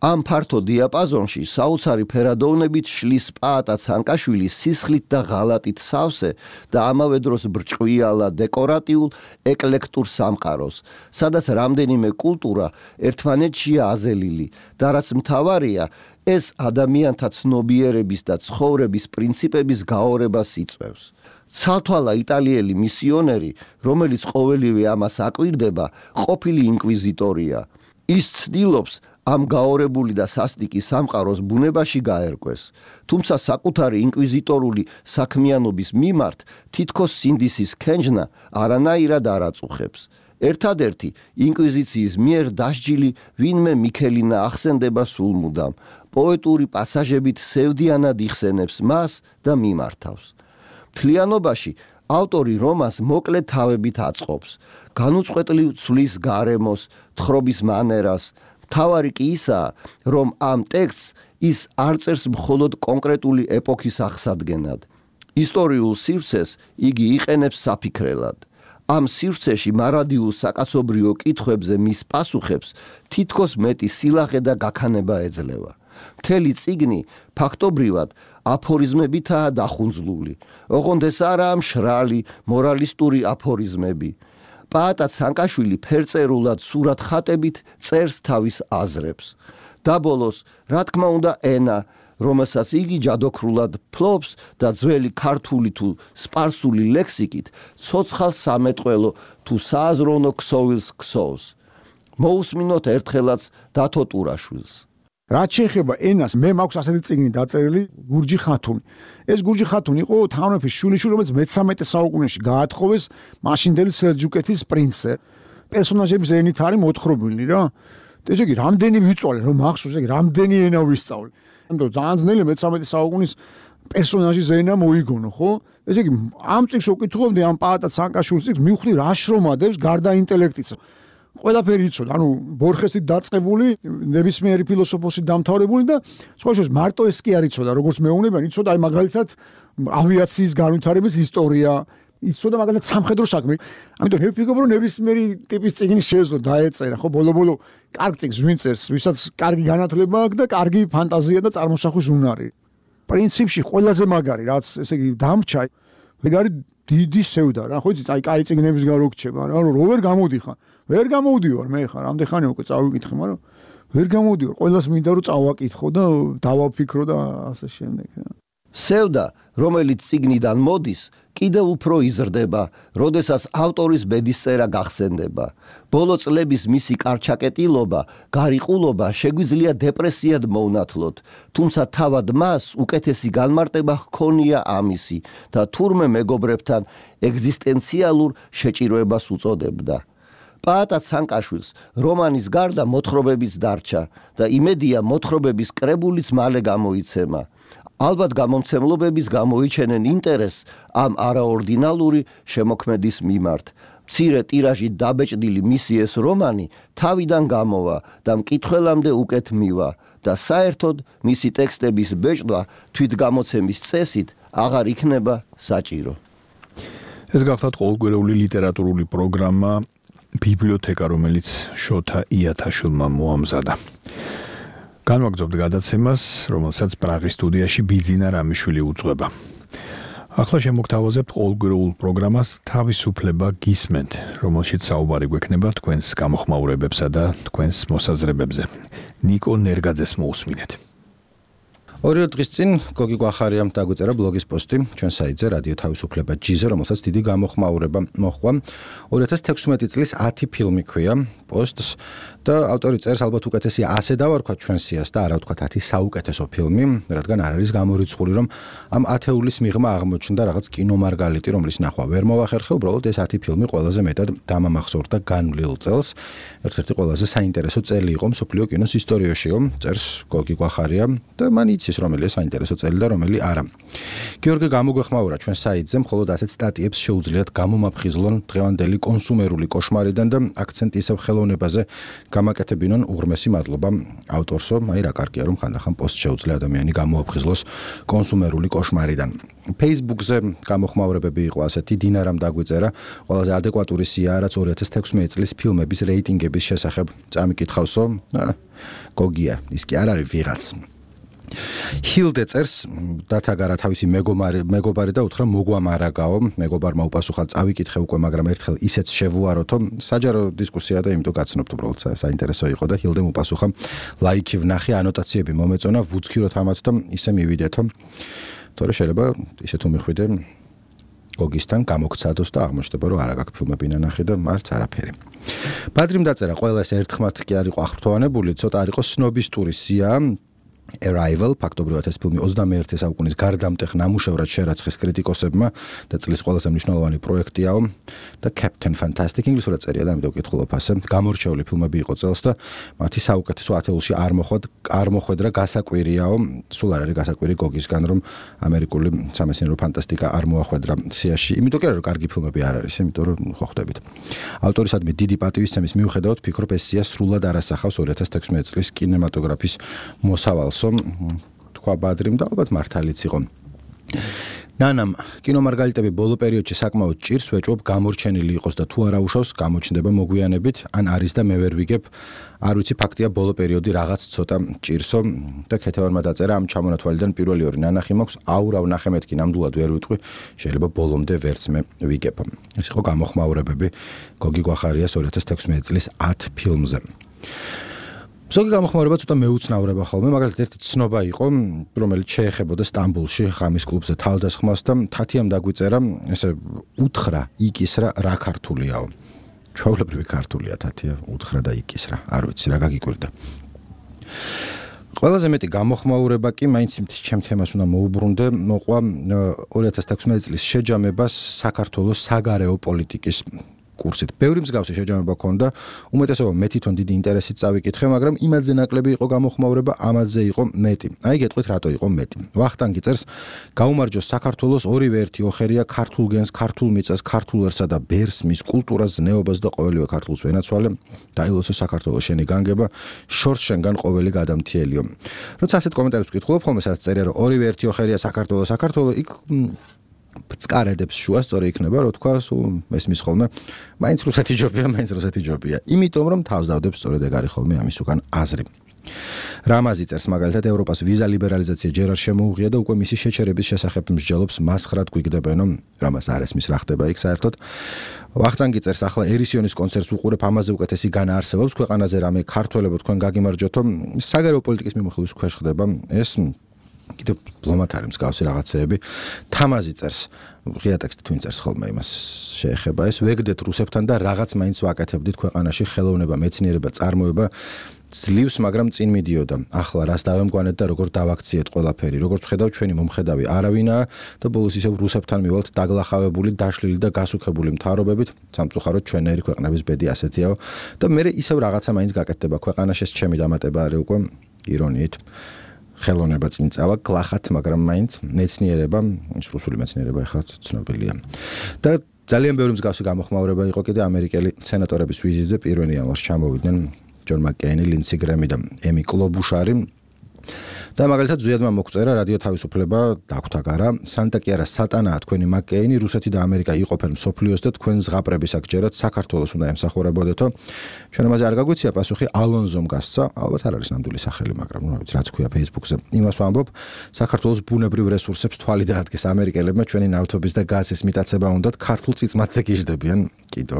ამ ფართო დიაპაზონში საოცარი ფერადოვნებით შლის პაატა ცანკაშვილი სისხლით და ღალატით სავსე და ამავე დროს ბრჭყვიალა დეკორატიულ ეკლექტურ სამყაროს, სადაც რამდენიმე კულტურა ერთმანეთშია აზელილი და რაც მთავარია, ეს ადამიანთა ცნობიერების და ცხოვრების პრინციპების გაორებას იწვევს. ცალთვალა იტალიელი მისიონერი, რომელიც ყოველივე ამას აკვირდება, ყოფილი ინკვიზიტორია. ის ცდილობს ამ გაორებული და სასტიკი სამყაროს ბუნებაში გაერკვეს, თუმცა საკუთარი ინკვიზიტორული საქმიანობის მიმართ თითქოს სინდისის ქენჯნა არანაირად არ აწუხებს. ერთადერთი ინკვიზიციის მიერ დასჯილი ვინმე მიქელინა ახსენდება სულმუდამ, პოეტური პასაჟებით სევდიანად იხსენებს მას და მიმართავს. მთლიანობაში ავტორი რომანს მოკლე თავებით აწყობს, განუწყვეტლივ ცვლის გარემოს, თხრობის მანერას. მთავარი კი ისაა, რომ ამ ტექსტს ის არ წერს მხოლოდ კონკრეტული ეპოქის აღსადგენად. ისტორიულ სივრცეს იგი იყენებს საფიქრელად. ამ სივრცეში მარადიულ საკაცობრიო კითხვებზე მის პასუხებს თითქოს მეტი სილაღე და გაქანება ეძლევა. მთელი წიგნი ფაქტობრივად აფორიზმებითაა დახუნძლული. ოღონდ ეს არაა მშრალი მორალისტური აფორიზმები. პაატა ცანკაშვილი ფერწერულად სურათ ხატებით წერს თავის აზრებს. და ბოლოს, რა თქმა უნდა, ენა, რომელსაც იგი ჯადოქრულად ფლობს და ძველი ქართული თუ სპარსული ლექსიკით ცოცხალ სამეტყველო თუ სააზროვნო ქსოვილს ქსოვს. მოусმინოთ ერთხელაც დათო ტურაშვილს. რაც შეეხება ენას, მე მაქვს ასეთი წიგნი დაწერილი გურჯი ხათუნი. ეს გურჯი ხათუნი იყო თანამეფის შვილიშვილი, რომელიც მე-13 საუკუნეში გაათხოვეს მაშინდელი სელჯუკეთის პრინცზე. პერსონაჟების ენით არის მოთხრობილი რა. ესე იგი, რამდენი ვიწვალე, რომ მახსოვს, იგი რამდენი ენა ვისწავლე. ამიტომ ძალიან ძნელი მე-13 საუკუნის პერსონაჟის ენა მოიგონო, ხო? ესე იგი, ამ წიგნს უკითხულობდი ამ პაატა ცანკაშვილის წიგნს, მივხვდი რა შრომადებს გარდა ინტელექტისა. ყველაფერი იცოდა, ანუ ბორხესით დაწყებული, ნებისმიერი ფილოსოფოსით დამთავრებული და სხვა შორის მარტო ეს კი არ იცოდა, როგორც მეუბნებიან, იცოდა აი მაგალითად ავიაციის განვითარების ისტორია, იცოდა მაგალითად სამხედრო საქმე. ამიტომ მე ვფიქრობ, რომ ნებისმიერი ტიპის წიგნი შეეძლო დაეწერა, ხო, ბოლო-ბოლო კარგ წიგნს ვინ წერს, ვისაც კარგი განათლება აქვს და კარგი ფანტაზია და წარმოსახვის უნარი. პრინციპში ყველაზე მაგარი, რაც ესე იგი დამრჩა, ეგ არის დიდი სევდა რა, ხო იცით, აი კაი წიგნების გარო გრჩება, რა, რომ ვერ გამოდიხარ. ვერ გამოვდივარ მე ხარ, ამდენ ხანი უკვე წავიკითხე, მაგრამ ვერ გამოვდივარ. ყველას მინდა რომ წავაკითხო და დავაფიქრო და ასე შემდეგ. სევდა, რომელიც წიგნიდან მოდის, კიდევ უფრო იზრდება, როდესაც ავტორის ბედისწერა გახსენდება. ბოლო წლების მისი კარჩაკეტილობა, გარიყულობა შეგვიძლია დეპრესიად მოვნათლოთ, თუმცა თავად მას უკეთესი განმარტება ჰქონია ამისი და თურმე მეგობრებთან ეგზისტენციალურ შეჭირვებას უწოდებდა. პაატა ცანკაშვილს რომანის გარდა მოთხრობებიც დარჩა და იმედია მოთხრობების კრებულიც მალე გამოიცემა. ალბათ გამომცემლობების გამოიჩენენ ინტერესს ამ არაორდინალური შემოქმედის მიმართ. მცირე ტირაჟით დაბეჭდილი მისი ეს რომანი თავიდან გამოვა და მკითხველამდე უკეთ მივა და საერთოდ მისი ტექსტების ბეჭდვა თვითგამოცემის წესით აღარ იქნება საჭირო. ეს გახლავთ ყოველკვირეული ლიტერატურული პროგრამა ბიბლიოთეკა, რომელიც შოთა იათაშვილმა მოამზადა. განვაგრძობთ გადაცემას, რომელსაც პრაღის სტუდიაში ბიძინა რამიშვილი უძღვება. ახლა შემოგთავაზებთ ყოველკვირეულ პროგრამას თავისუფლება გისმენთ, რომელშიც საუბარი გვექნება თქვენს გამოხმაურებებსა და თქვენს მოსაზრებებზე. ნიკო ნერგაძეს მოусმინეთ. ორი დღის წინ გოგი გვახარიამ დაგვიწერა ბლოგის პოსტი ჩვენ საიტზე რადიო თავისუფლება G-ზე, რომელსაც დიდი გამოხმაურება მოჰყვა. 2016 წლის 10 ფილმი ქვია პოსტს და ავტორი წერს, ალბათ უკეთესია ასე დავარქვათ ჩვენ სიას და არა ვთქვათ 10 საუკეთესო ფილმი, რადგან არ არის გამორიცხული, რომ ამ ათეულის მიღმა აღმოჩნდა რაღაც კინომარგალიტი, რომლის ნახვა ვერ მოვახერხე, უბრალოდ ეს 10 ფილმი ყველაზე მეტად დამამახსოვრდა განვლილ წელს. ერთ-ერთი ყველაზე საინტერესო წელი იყო მსოფლიო კინოს ისტორიაშიო, წერს გოგი გვახარია და მან იცის რომელია საინტერესო წელი და რომელი არა. გიორგი გამოგვეხმაურა ჩვენ საიტზე, მხოლოდ ასეთ სტატიებს შეუძლიათ გამომაფხიზლონ დღევანდელი კონსუმერული კოშმარიდან და აქცენტი ისევ ხელოვნებაზე გამაკეთებინონ. უღრმესი მადლობა ავტორსო, აი რა კარგია რომ ხანდახან პოსტ შეუძლია ადამიანი გამოაფხიზლოს კონსუმერული კოშმარიდან. Facebook-ზე გამოხმაურებები იყო ასეთი, დინარამ დაგვიწერა, ყველაზე ადეკვატური სია, რაც 2016 წლის ფილმების რეიტინგების შესახებ წამიკითხავსო. გოგია, ის კი არ არის ვიღაც. ჰილდე წერს, დათაგარა თავისი მეგობარი და უთხრა მოგვამარაგაო, მეგობარმა უპასუხა, წავიკითხე უკვე, მაგრამ ერთხელ ისეც შევუაროთო, საჯარო დისკუსია და იმიტომ გაცნობთ, უბრალოდ საინტერესო იყო და ჰილდემ უპასუხა, ლაიქი ვნახე, ანოტაციები მომეწონა, ვუძქიროთ ამათ და ისე მივიდეთო. თორე შეიძლება ისე თუ მიხვიდე გოგისთან გამოგცადოს და აღმოჩნდება, რომ არა გაქვს ფილმები ნანახი და არც არაფერი. ბადრიმ დაწერა, ყველა ეს ერთხმათ კი არ იყო აღფრთოვანებული, ცოტა არ იყო სნობისტური სია. Arrival, ფაქტობრივად ეს ფილმი 21 საუკუნის გარდამტეხ ნამუშევრად შერაცხეს კრიტიკოსებმა და წლის ყველაზე მნიშვნელოვანი პროექტიაო და Captain Fantastic ინგლისურად წერია და ამიტომ ვკითხულობ ასე. გამორჩეული ფილმები იყო წელს და მათი საუკეთესო ათეულში არ მოხვედრა გასაკვირიაო, სულ არ არის გასაკვირი გოგისგან, რომ ამერიკული სამეცნიერო ფანტასტიკა არ მოახვედრა სიაში. იმიტომ კი არა, რომ კარგი ფილმები არ არის, იმიტომ რომ ხო ხვდებით. ავტორისადმი დიდი პატივისცემის მიუხედავად ფიქრობ ეს სია სრულად არ ასახავს 2016 წლის კინემატოგრაფის მოსავალს. თქვა ბადრიმ და ალბათ მართალიც იყო. ნანამ კინომარგალიტები ბოლო პერიოდში საკმაოდ ჭირს, ვეჭვობ გამორჩენილი იყოს და თუ არა უშავს, გამოჩნდება მოგვიანებით, ან არის და მე ვერ ვიგებ. არ ვიცი, ფაქტია ბოლო პერიოდი რაღაც ცოტა ჭირსო და ქეთევანმა დაწერა ამ ჩამონათვალიდან პირველი ორი ნანახი მაქვს, აურავ ნახე მეთქი ნამდვილად ვერ ვიტყვი, შეიძლება ბოლომდე ვერც მე ვიგებ. ეს იყო გამოხმაურებები გოგი გვახარიას 2016 წლის 10 ფილმზე. ზოგი გამოხმაურება ცოტა მეუცნაურება ხოლმე, მაგალითად ერთი ცნობა იყო, რომელიც შეეხებოდა სტამბოლში ღამის კლუბზე თავდასხმას და თათიამ დაგვიწერა, ესე უთხრა, იკისრა, რა ქართულიაო. ჩვეულებრივი ქართულია თათია, უთხრა და იკისრა. არ ვიცი რა გაგიკვირდა. ყველაზე მეტი გამოხმაურება კი მაინც ჩემ თემას უნდა მოუბრუნდე, მოყვა 2016 წლის შეჯამებას საქართველოს საგარეო პოლიტიკის კურსით. ბევრი მსგავსი შეჯამება ჰქონდა, უმეტესობა მე თვითონ დიდი ინტერესით წავიკითხე, მაგრამ იმადზე ნაკლები იყო გამოხმაურება, ამაზე იყო მეტი. აი გეტყვით რატო იყო მეტი. ვახტანგი წერს, გაუმარჯოს საქართველოს ორივე ერთი ოხერია ქართულ გენს, ქართულ მიწას, ქართულერსა და ბერს, მის კულტურას, ზნეობას და ყოველივე ქართულს ვენაცვალე. დაილოცო საქართველოს შენი განგება, შორს შენგან ყოველი გადამთიელიო. როცა ასეთ კომენტარებს ვკითხულობ, ხოლმე სადაც წერია, რომ ორივე ერთი ოხერია საქართველოს, იქ წკარედებს შუა სწორი იქნება, რო თქვა, სულ ესმის ხოლმე, მაინც რუსეთი ჯობია. იმიტომ რომ თავს დავდებს სწორედ ეგ არის ხოლმე ამის უკან აზრი. რამაზი წერს მაგალითად ევროპას ვიზა ლიბერალიზაცია ჯერ არ შემოუღია და უკვე მისი შეჩერების შესახებ მსჯელობს მასხრად გვიგდებენო, რამას არ ესმის რა ხდება იქ საერთოდ. ვახტანგი წერს ახლა ერისიონის კონცერტს უყურებ, ამაზე უკეთესი განა არსებობს ქვეყანაზე რამე ქართველებო თქვენ გაგიმარჯვეთო, საგარეო პოლიტიკის მიმოხილვის ქვეშ ხდება ეს კიდევ დიპლომატ არის მსგავსი რაღაცეები. თამაზი წერს, ღია ტექსტი twin წერს ხოლმე იმას შეეხება ეს, ვეგდეთ რუსებთან და რაღაც მაინც ვაკეთებდით ქვეყანაში ხელოვნება, მეცნიერება, წარმოება ძლივს, მაგრამ წინ მიდიოდა. ახლა რას დავემგვანეთ და როგორ დავაქციეთ ყველაფერი, როგორც ვხედავ ჩვენი მომხედავი არავინაა და ბოლოს ისევ რუსებთან მივალთ დაგლახავებული, დაშლილი და გასუქებული მთავრობებით, სამწუხაროდ ჩვენერი ქვეყნების ბედი ასეთიაო და მე ისევ რაღაცა მაინც გაკეთდება ქვეყანაში, ეს ჩემი დამატება არის უკვე ირონიით. ხელოვნება წინ წავა გლახათ, მაგრამ მაინც მეცნიერება, რუსული მეცნიერება ახლა ცნობილია. და ძალიან ბევრი მსგავსი გამოხმაურება იყო კიდე ამერიკელი სენატორების ვიზიტზე 1 იანვარს ჩამოვიდნენ ჯონ მაკკეინი, ლინდსი გრემი და ემი კლობუშარი. და მაგალითად ზუიადმა მოგწერა რადიო თავისუფლება დაგვთაგარა, სანტა კიარა სატანაა თქვენი მაკკეინი, რუსეთი და ამერიკა იყოფენ მსოფლიოს და თქვენ ზღაპრების აქ ჯერათ საქართველოს უნდა ემსახურებოდეთო. ჩვენ ამაზე არ გაგვიცია პასუხი, ალონზომ გასცა, ალბათ არ არის ნამდვილი სახელი, მაგრამ რა ვიცი, რაც ქვია Facebook-ზე. იმას ვამბობ, საქართველოს ბუნებრივ რესურსებს თვალი დაადგეს ამერიკელებმა, ჩვენი ნავთობის და გაზის მიტაცება უნდათ ქართულ წიწმათზე გიждდებიან, კიდო.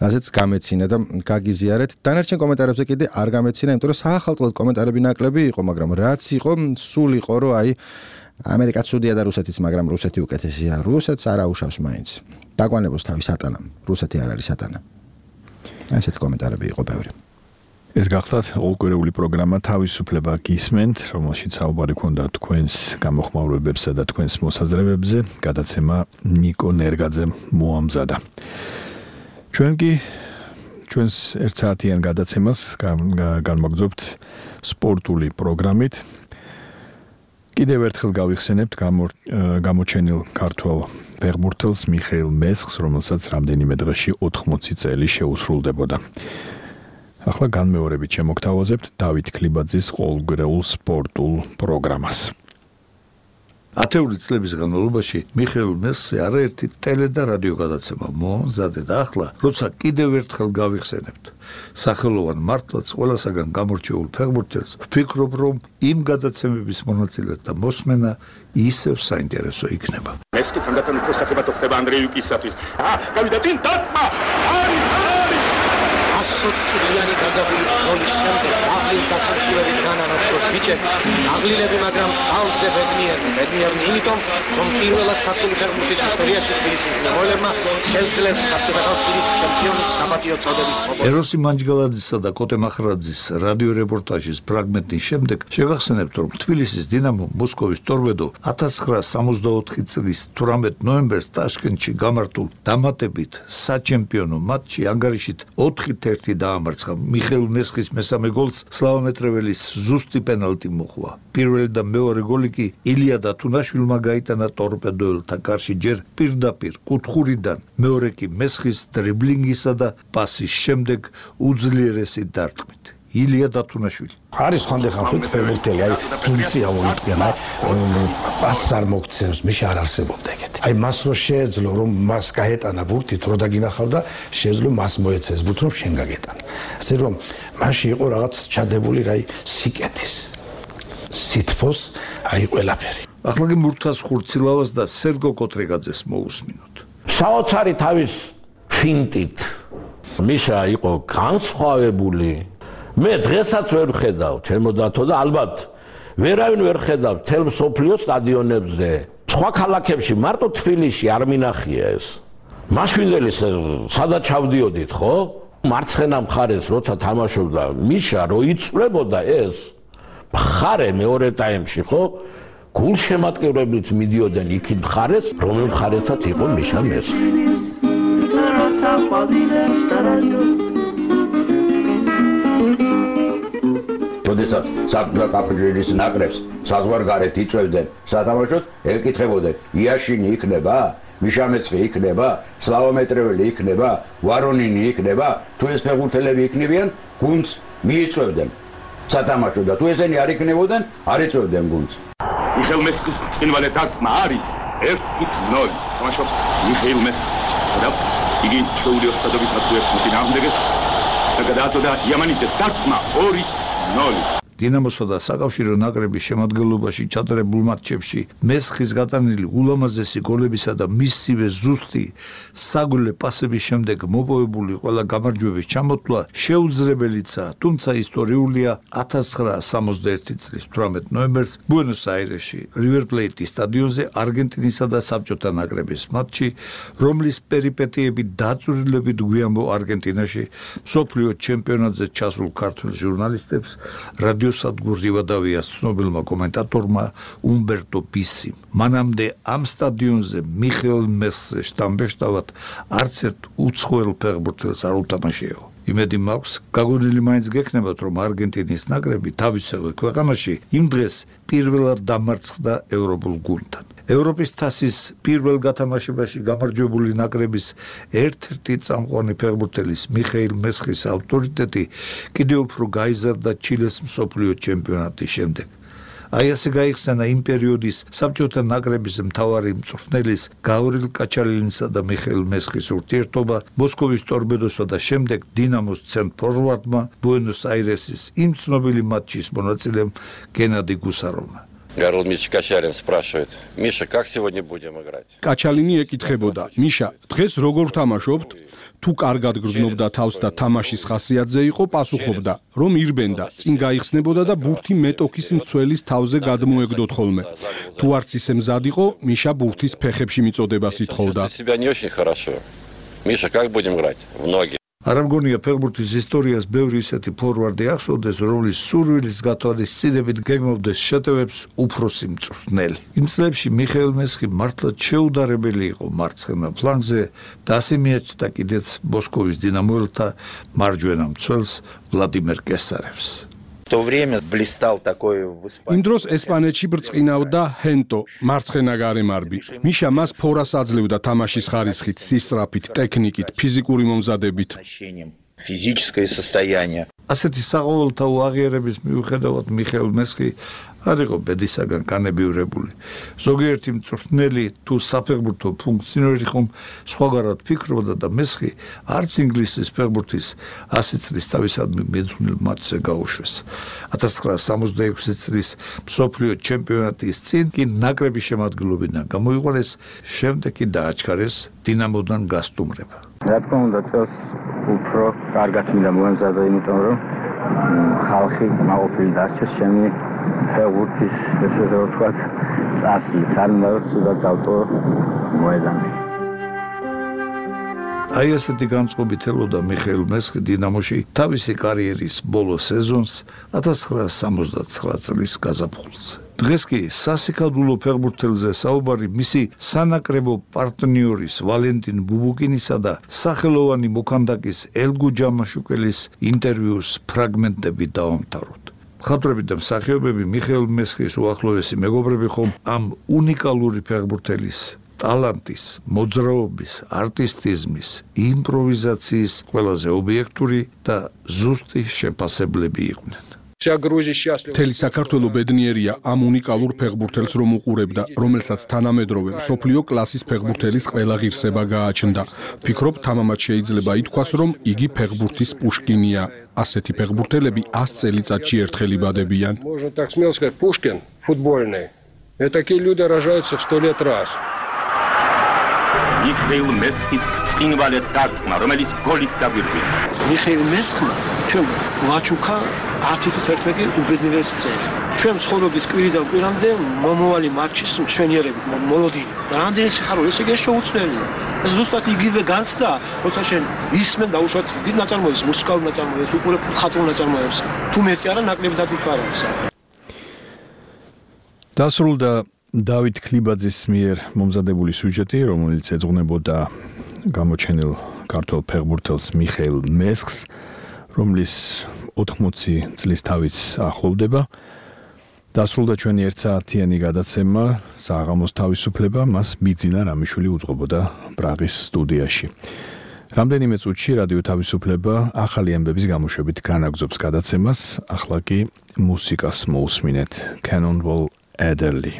რაზეც გამეცინა და გაგიზიარეთ. დანარჩენ კომენტარებზე კიდე არ გამეცინა, იმიტომ რომ საახალწლოდ კომენტარები ნაკლები იყო, მაგრამ რაც იყო, სულ იყო, რომ აი ამერიკაც ცუდია და რუსეთიც, მაგრამ რუსეთი უკეთესია. რუსეთს არ აუშავს მაინც. დაგვანებოს თავი სატანა. რუსეთი არ არის სატანა. ასეთ კომენტარები იყო ბევრი. ეს გახლავთ ოლკვირეული პროგრამა თავისუფლება გისმენთ, რომელშიც საუბარი ქონდა თქვენს გამოხმაურებებსა და თქვენს მოსაზრებებზე. გადაცემა ნიკო ნერგაძემ მოამზადა. ჩვენ კი ჩვენს 1 საათიან გადაცემას განმაგზავნებთ სპორტული პროგრამით. კიდევ ერთხელ გავიხსენებთ გამოჩენილ ქართველ ფეხბურთელს მიხეილ მესხს, რომელსაც რამდენიმე დღეში 80 წელი შეუსრულდებოდა. ახლა განმეორებით შემოგთავაზებთ დავით ქლიბაძის ყოველგვარეულ სპორტულ პროგრამას. ათეული წლების განმავლობაში მიხეილ მესხზე არაერთი ტელე და რადიო გადაცემა მომზადდა და ახლა, როცა კიდევ ერთხელ გავიხსენებთ სახელოვან მართლაც ყველასაგან გამორჩეულ ფეხბურთელს, ვფიქრობ, რომ იმ გადაცემების მონაწილეთა მოსმენა ისევ საინტერესო იქნება. მესხი თანდათან უფრო საკებათო ხდება ანდრეიუკისათვის. გავიდა წინ დათმა! სოციალური გაძაბული ბრძოლის შემდეგ აღლილ დაქცევებით განანათოს ბიჭები აღლილები, მაგრამ ძალზე ბედნიერნი იმიტომ, რომ პირველად ქართული ფეხბურთის ისტორიაში თბილისის მემოელებმა შეძლეს საბჭოთა კავშირის ჩემპიონის საპატიო წოდების მოპოვება. ეროსი მანჯგალაძისა და კოტე მახრაძის რადიო რეპორტაჟის ფრაგმენტის შემდეგ შევახსენებთ, რომ თბილისის დინამო მოსკოვის ტორპედო 1964 წლის 18 ნოემბერს ტაშკენტში გამართულ დამატებით საჩემპიონო მატჩში ანგარიშით 4-1 დაამარცხა. მიხეილ მესხის მესამე გოლს სლავომეტრეველის ზუსტი პენალტი მოჰყვა. პირველი და მეორე გოლი კი ილია დათუნაშვილმა გაიტანა ტორპედოელთა კარში ჯერ პირდაპირ კუთხურიდან, მეორე კი მესხის დრიბლინგისა და პასის შემდეგ უძლიერესი დარტყმით. ილია დათუნაშვილი არის ხანდახან ხუთ ფეხბურთელი, აი ძუძია მოიწვია, პასს არ მოგცემს, მიშ არ არსებობდა ეგეთი. აი მას რო შეეძლო, რომ მას გაეტანა ბურთით, რო დაგინახავდა, შეეძლო მას მოეცეს ბურთს, რომ შენ გაგეტანა. ასე რომ მასში იყო რაღაც ჩადებული, აი სიკეთის, სითფოს, აი ყველაფერი. ახლა კი მურთას ხურცილავას და სერგო კოტრეგაძეს მოусმინოთ. საოცარი თავის ფინტით მიშა იყო განსხვავებული მე დღესაც ვერ ხედავ ჩემო დათო და ალბათ ვერავინ ვერ ხედავ თელ სოფლიო სტადიონებზე. სხვა ქალაქებში მარტო თბილისში არ მინახია ეს. მაშვიდელი სადაც ჩავდიოდით, ხო? მარცხენა მხარეს როცა თამაშობდა მიშა რო იწვლებოდა ეს მხარე მეორე ტაიმში, ხო? გულშემატკივრებით მიდიოდნენ იქ მხარეს, რომელ მხარესაც იყო მიშა მესხი. როდესაც საფრანგეთის კაპიტალის ნაკრებს საზღვარგარეთ იწვევდნენ სათამაშოდ, ეკითხებოდნენ: იაშინი იქნება? მიშა მეცხი იქნება? სლავომეტრეველი იქნება? ვარონინი იქნება? თუ ეს ფეხბურთელები იქნებიან, გუნდს მიიწვევდნენ სათამაშოდ და თუ ესენი არ იქნებოდნენ, არ იწვევდნენ გუნდს. მიხეილ მესხის ბრწყინვალე დარტყმა არის 1-0. თამაშობს მიხეილ მესხი. და იგი ჩვეული ოსტატობით ატყუებს მოწინააღმდეგეს და გადააწოდა იამანიძეს დარტყმა 2-0. დინამოსა და საკავშირო ნაკრების შემადგენლობაში ჩატარებულ მატჩებში მესხის გატანილი ულამაზესი გოლებისა და მისივე ზუსტი საგულე პასების შემდეგ მოპოვებული ყველა გამარჯვების ჩამოთვლა შეუძლებელიცაა, თუმცა ისტორიულია 1961 წლის 18 ნოემბერს ბუენოს-აირესში რივერ პლეიტის სტადიონზე არგენტინისა და საბჭოთა ნაკრების მატჩი, რომლის პერიპეტიები დაწვრილებით გვიანბო არგენტინაში მსოფლიო ჩემპიონატზე ჩასულ ქართველ ჟურნალისტებს რადიო სადგურ რივადავიას ცნობილმა კომენტატორმა უმბერტო პისიმ. მანამდე ამ სტადიონზე მიხეილ მესხზე შტამბეშტავად არც ერთ უცხოელ ფეხბურთელს არ უთამაშიაო. იმედი მაქვს, გაგონილი მაინც გექნებათ, რომ არგენტინის ნაკრები თავისივე ქვეყანაში იმ დღეს პირველად დამარცხდა ევროპულ გუნდთან. ევროპის თასის პირველ გათამაშებაში გამარჯვებული ნაკრების ერთ-ერთი წამყვანი ფეხბურთელის მიხეილ მესხის ავტორიტეტი კიდევ უფრო გაიზარდა ჩილეს მსოფლიო ჩემპიონატის შემდეგ. აი ასე გაიხსენა იმ პერიოდის საბჭოთა ნაკრების მთავარი მწვრთნელის გავრილ კაჩალინისა და მიხეილ მესხის ურთიერთობა, მოსკოვის ტორპედოსა და შემდეგ დინამოს ცენტრ-ფორვარდმა ბუენოს-აირესის იმ ცნობილი მატჩის მონაწილემ გენადი გუსაროვმა. Гарл Миша Качалин спрашивает: Миша, как сегодня будем играть? კაჩალინი ეკითხებოდა: მიშა, დღეს როგორ თამაშობთ? თუ კარგად გრძნობდა თავს და თამაშის ხასიათზე იყო, პასუხობდა, რომ ირბენდა, წინ გაიხსნებოდა და ბურთი მეტოქის მცველის თავზე გადმოეგდოთ ხოლმე. თუ არც ისე მზად იყო, მიშა ბურთის ფეხებში მიწოდებას ითხოვდა. Себя не очень хорошо. Миша, как будем играть? В ноги. არ ამგონია ფეხბურთის ისტორიას ბევრი ისეთი ფორვარდი ახსოვდეს, რომლის სურვილის გათვალისწინებით გეგმავდეს შეტევებს უფროსი მწვრთნელი. იმ წლებში მიხეილ მესხი მართლაც შეუდარებელი იყო მარცხენა ფლანგზე და ასე მიაჩნდა კიდეც მოსკოვის დინამოელთა მარჯვენა მცველს ვლადიმერ კესარევს. В то время блистал такой в Испании. იმ დროს ესპანეთში ბრწყინავდა ჰენტო, მარცხენა გარემარბი. მიშა მას ფორას აძლევდა თამაშის ხარისხით, სისწრაფით, ტექნიკით, ფიზიკური მომზადებით. Физическое состояние. ასეთი საყოველთაო აღიარების მიუხედავად მიხეილ მესხი არ იყო ბედისაგან განებიურებული. ზოგიერთი მწვრთნელი თუ საფეხბურთო ფუნქციონერი ხომ სხვაგანად ფიქრობდა და მესხი არც ინგლისის ფეხბურთის 100 წლის თავისადმი მეძღვნილ მატჩზე გაუშვეს. 1966 წლის მსოფლიო ჩემპიონატის წინ კი ნაკრების შემადგენლობიდან გამოიყვანეს, შემდეგ კი დააჩქარეს დინამოდან გასტუმრება. რა თქმა უნდა, წელს უფრო კარგად მინდა მოემზადო, იმიტომ რომ ხალხი მაყოფილი დარჩეს ჩემი ფეხბურთის, ესე ვთქვათ, წასვლით. არ მინდა რომ ცუდად დავტო მოედანზე. აი ასეთი განწყობით ელოდა მიხეილ მესხი დინამოში თავისი კარიერის ბოლო სეზონს 1969 წლის გაზაფხულზე. დღეს კი სასიკადულო ფეხბურთელზე საუბარი მისი სანაკრებო პარტნიორის ვალენტინ ბუბუკინისა და სახელოვანი მოქანდაკის ელგუ ჯამაშუკელის ინტერვიუს ფრაგმენტები დავამთავროთ. მხატვრები და მსახიობები მიხეილ მესხის უახლოესი მეგობრები ხომ ამ უნიკალური ფეხბურთელის ტალანტის, მოძრაობის, არტისტიზმის, იმპროვიზაციის ყველაზე ობიექტური და ზუსტი შეფასებლები იყვნენ. მთელი საქართველო ბედნიერია ამ უნიკალურ ფეხბურთელს რომ უყურებდა, რომელსაც თანამედროვე მსოფლიო კლასის ფეხბურთელის ყველა ღირსება გააჩნდა. ფიქრობ, თამამად შეიძლება ითქვას, რომ იგი ფეხბურთის პუშკინია. ასეთი ფეხბურთელები 100 წელიწადში ერთხელ იბადებიან. Можно так смело сказать, Пушкин футбольный. И такие люди рождаются в 100 лет раз. მიხეილ მესხის ბრწყინვალე დარტყმა, რომელიც გოლით დაგვირგვინდა. მიხეილ მესხმა ჩვენ ვაჩუქა 10-11 უბედნიერესი წელი. ჩვენ ცხოვრობთ კვირიდან კვირამდე მომავალი მატჩის მშვენიერებით მოლოდინი. რამდენი სიხარული ეს იგი შეუცვლელია. ეს ზუსტად იგივე განცდა, როცა შენ ისმენ დაუშვათ დიდ ნაწარმოებს, მუსიკალურ ნაწარმოებს, უყურებ ხატულ ნაწარმოებს. თუ მეტი არა, ნაკლებად იფარა ეს. დასრულდა დავით ქლიბაძის მიერ მომზადებული სიუჟეტი, რომელიც ეძღვნებოდა გამოჩენილ ქართველ ფეხბურთელს მიხეილ მესხს, რომლის 80 წლის თავიც ახლოვდება. დასრულდა ჩვენი 1 საათიანი გადაცემა საღამოს თავისუფლება, მას ბიძინა რამიშვილი უძღვებოდა პრაღის სტუდიაში. რამდენიმე წუთში რადიო თავისუფლება ახალი ამბების გამოშვებით განაგზობს გადაცემას, ახლა კი მუსიკას მოусმინეთ. Cannonball Adderley.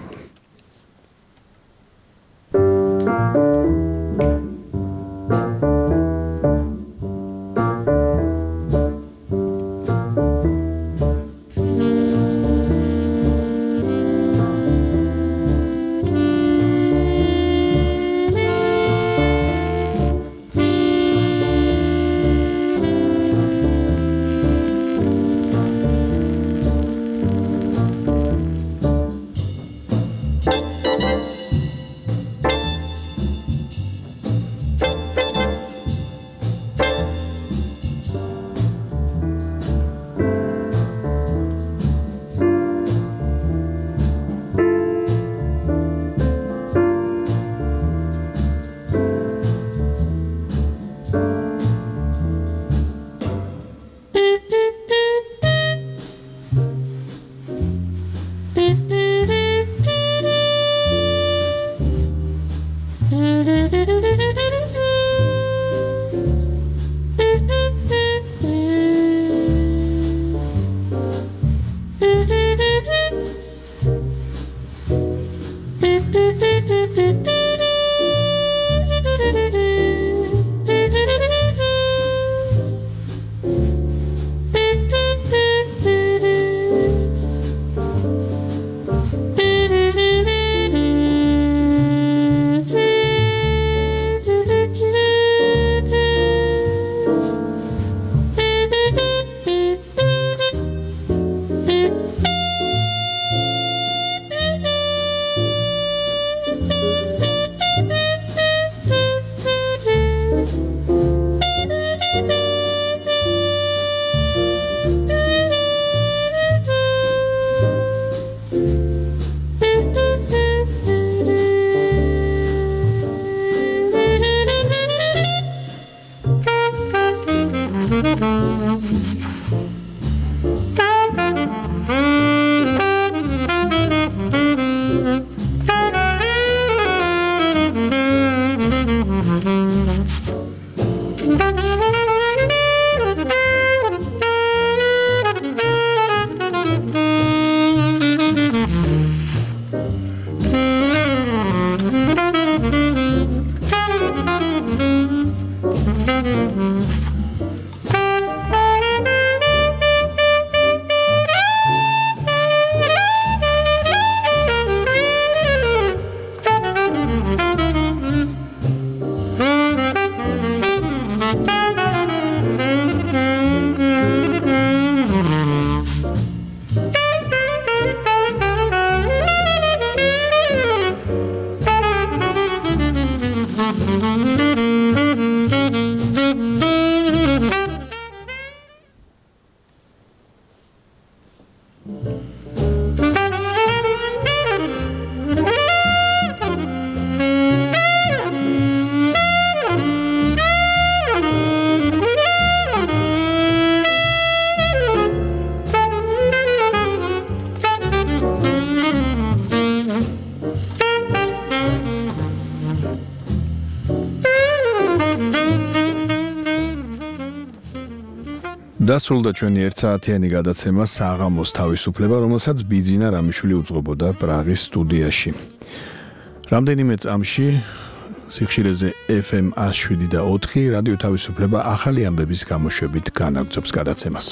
დასრულდა ჩვენი 1 საათიანი გადაცემა საღამოს თავისუფლება, რომელსაც ბიძინა რამიშვილი უძღვებოდა პრაღის სტუდიაში. რამდენიმე წამში სიხშირეზე FM 107.4 რადიო თავისუფლება ახალი ამბების გამოშვებით განაგზობს გადაცემას.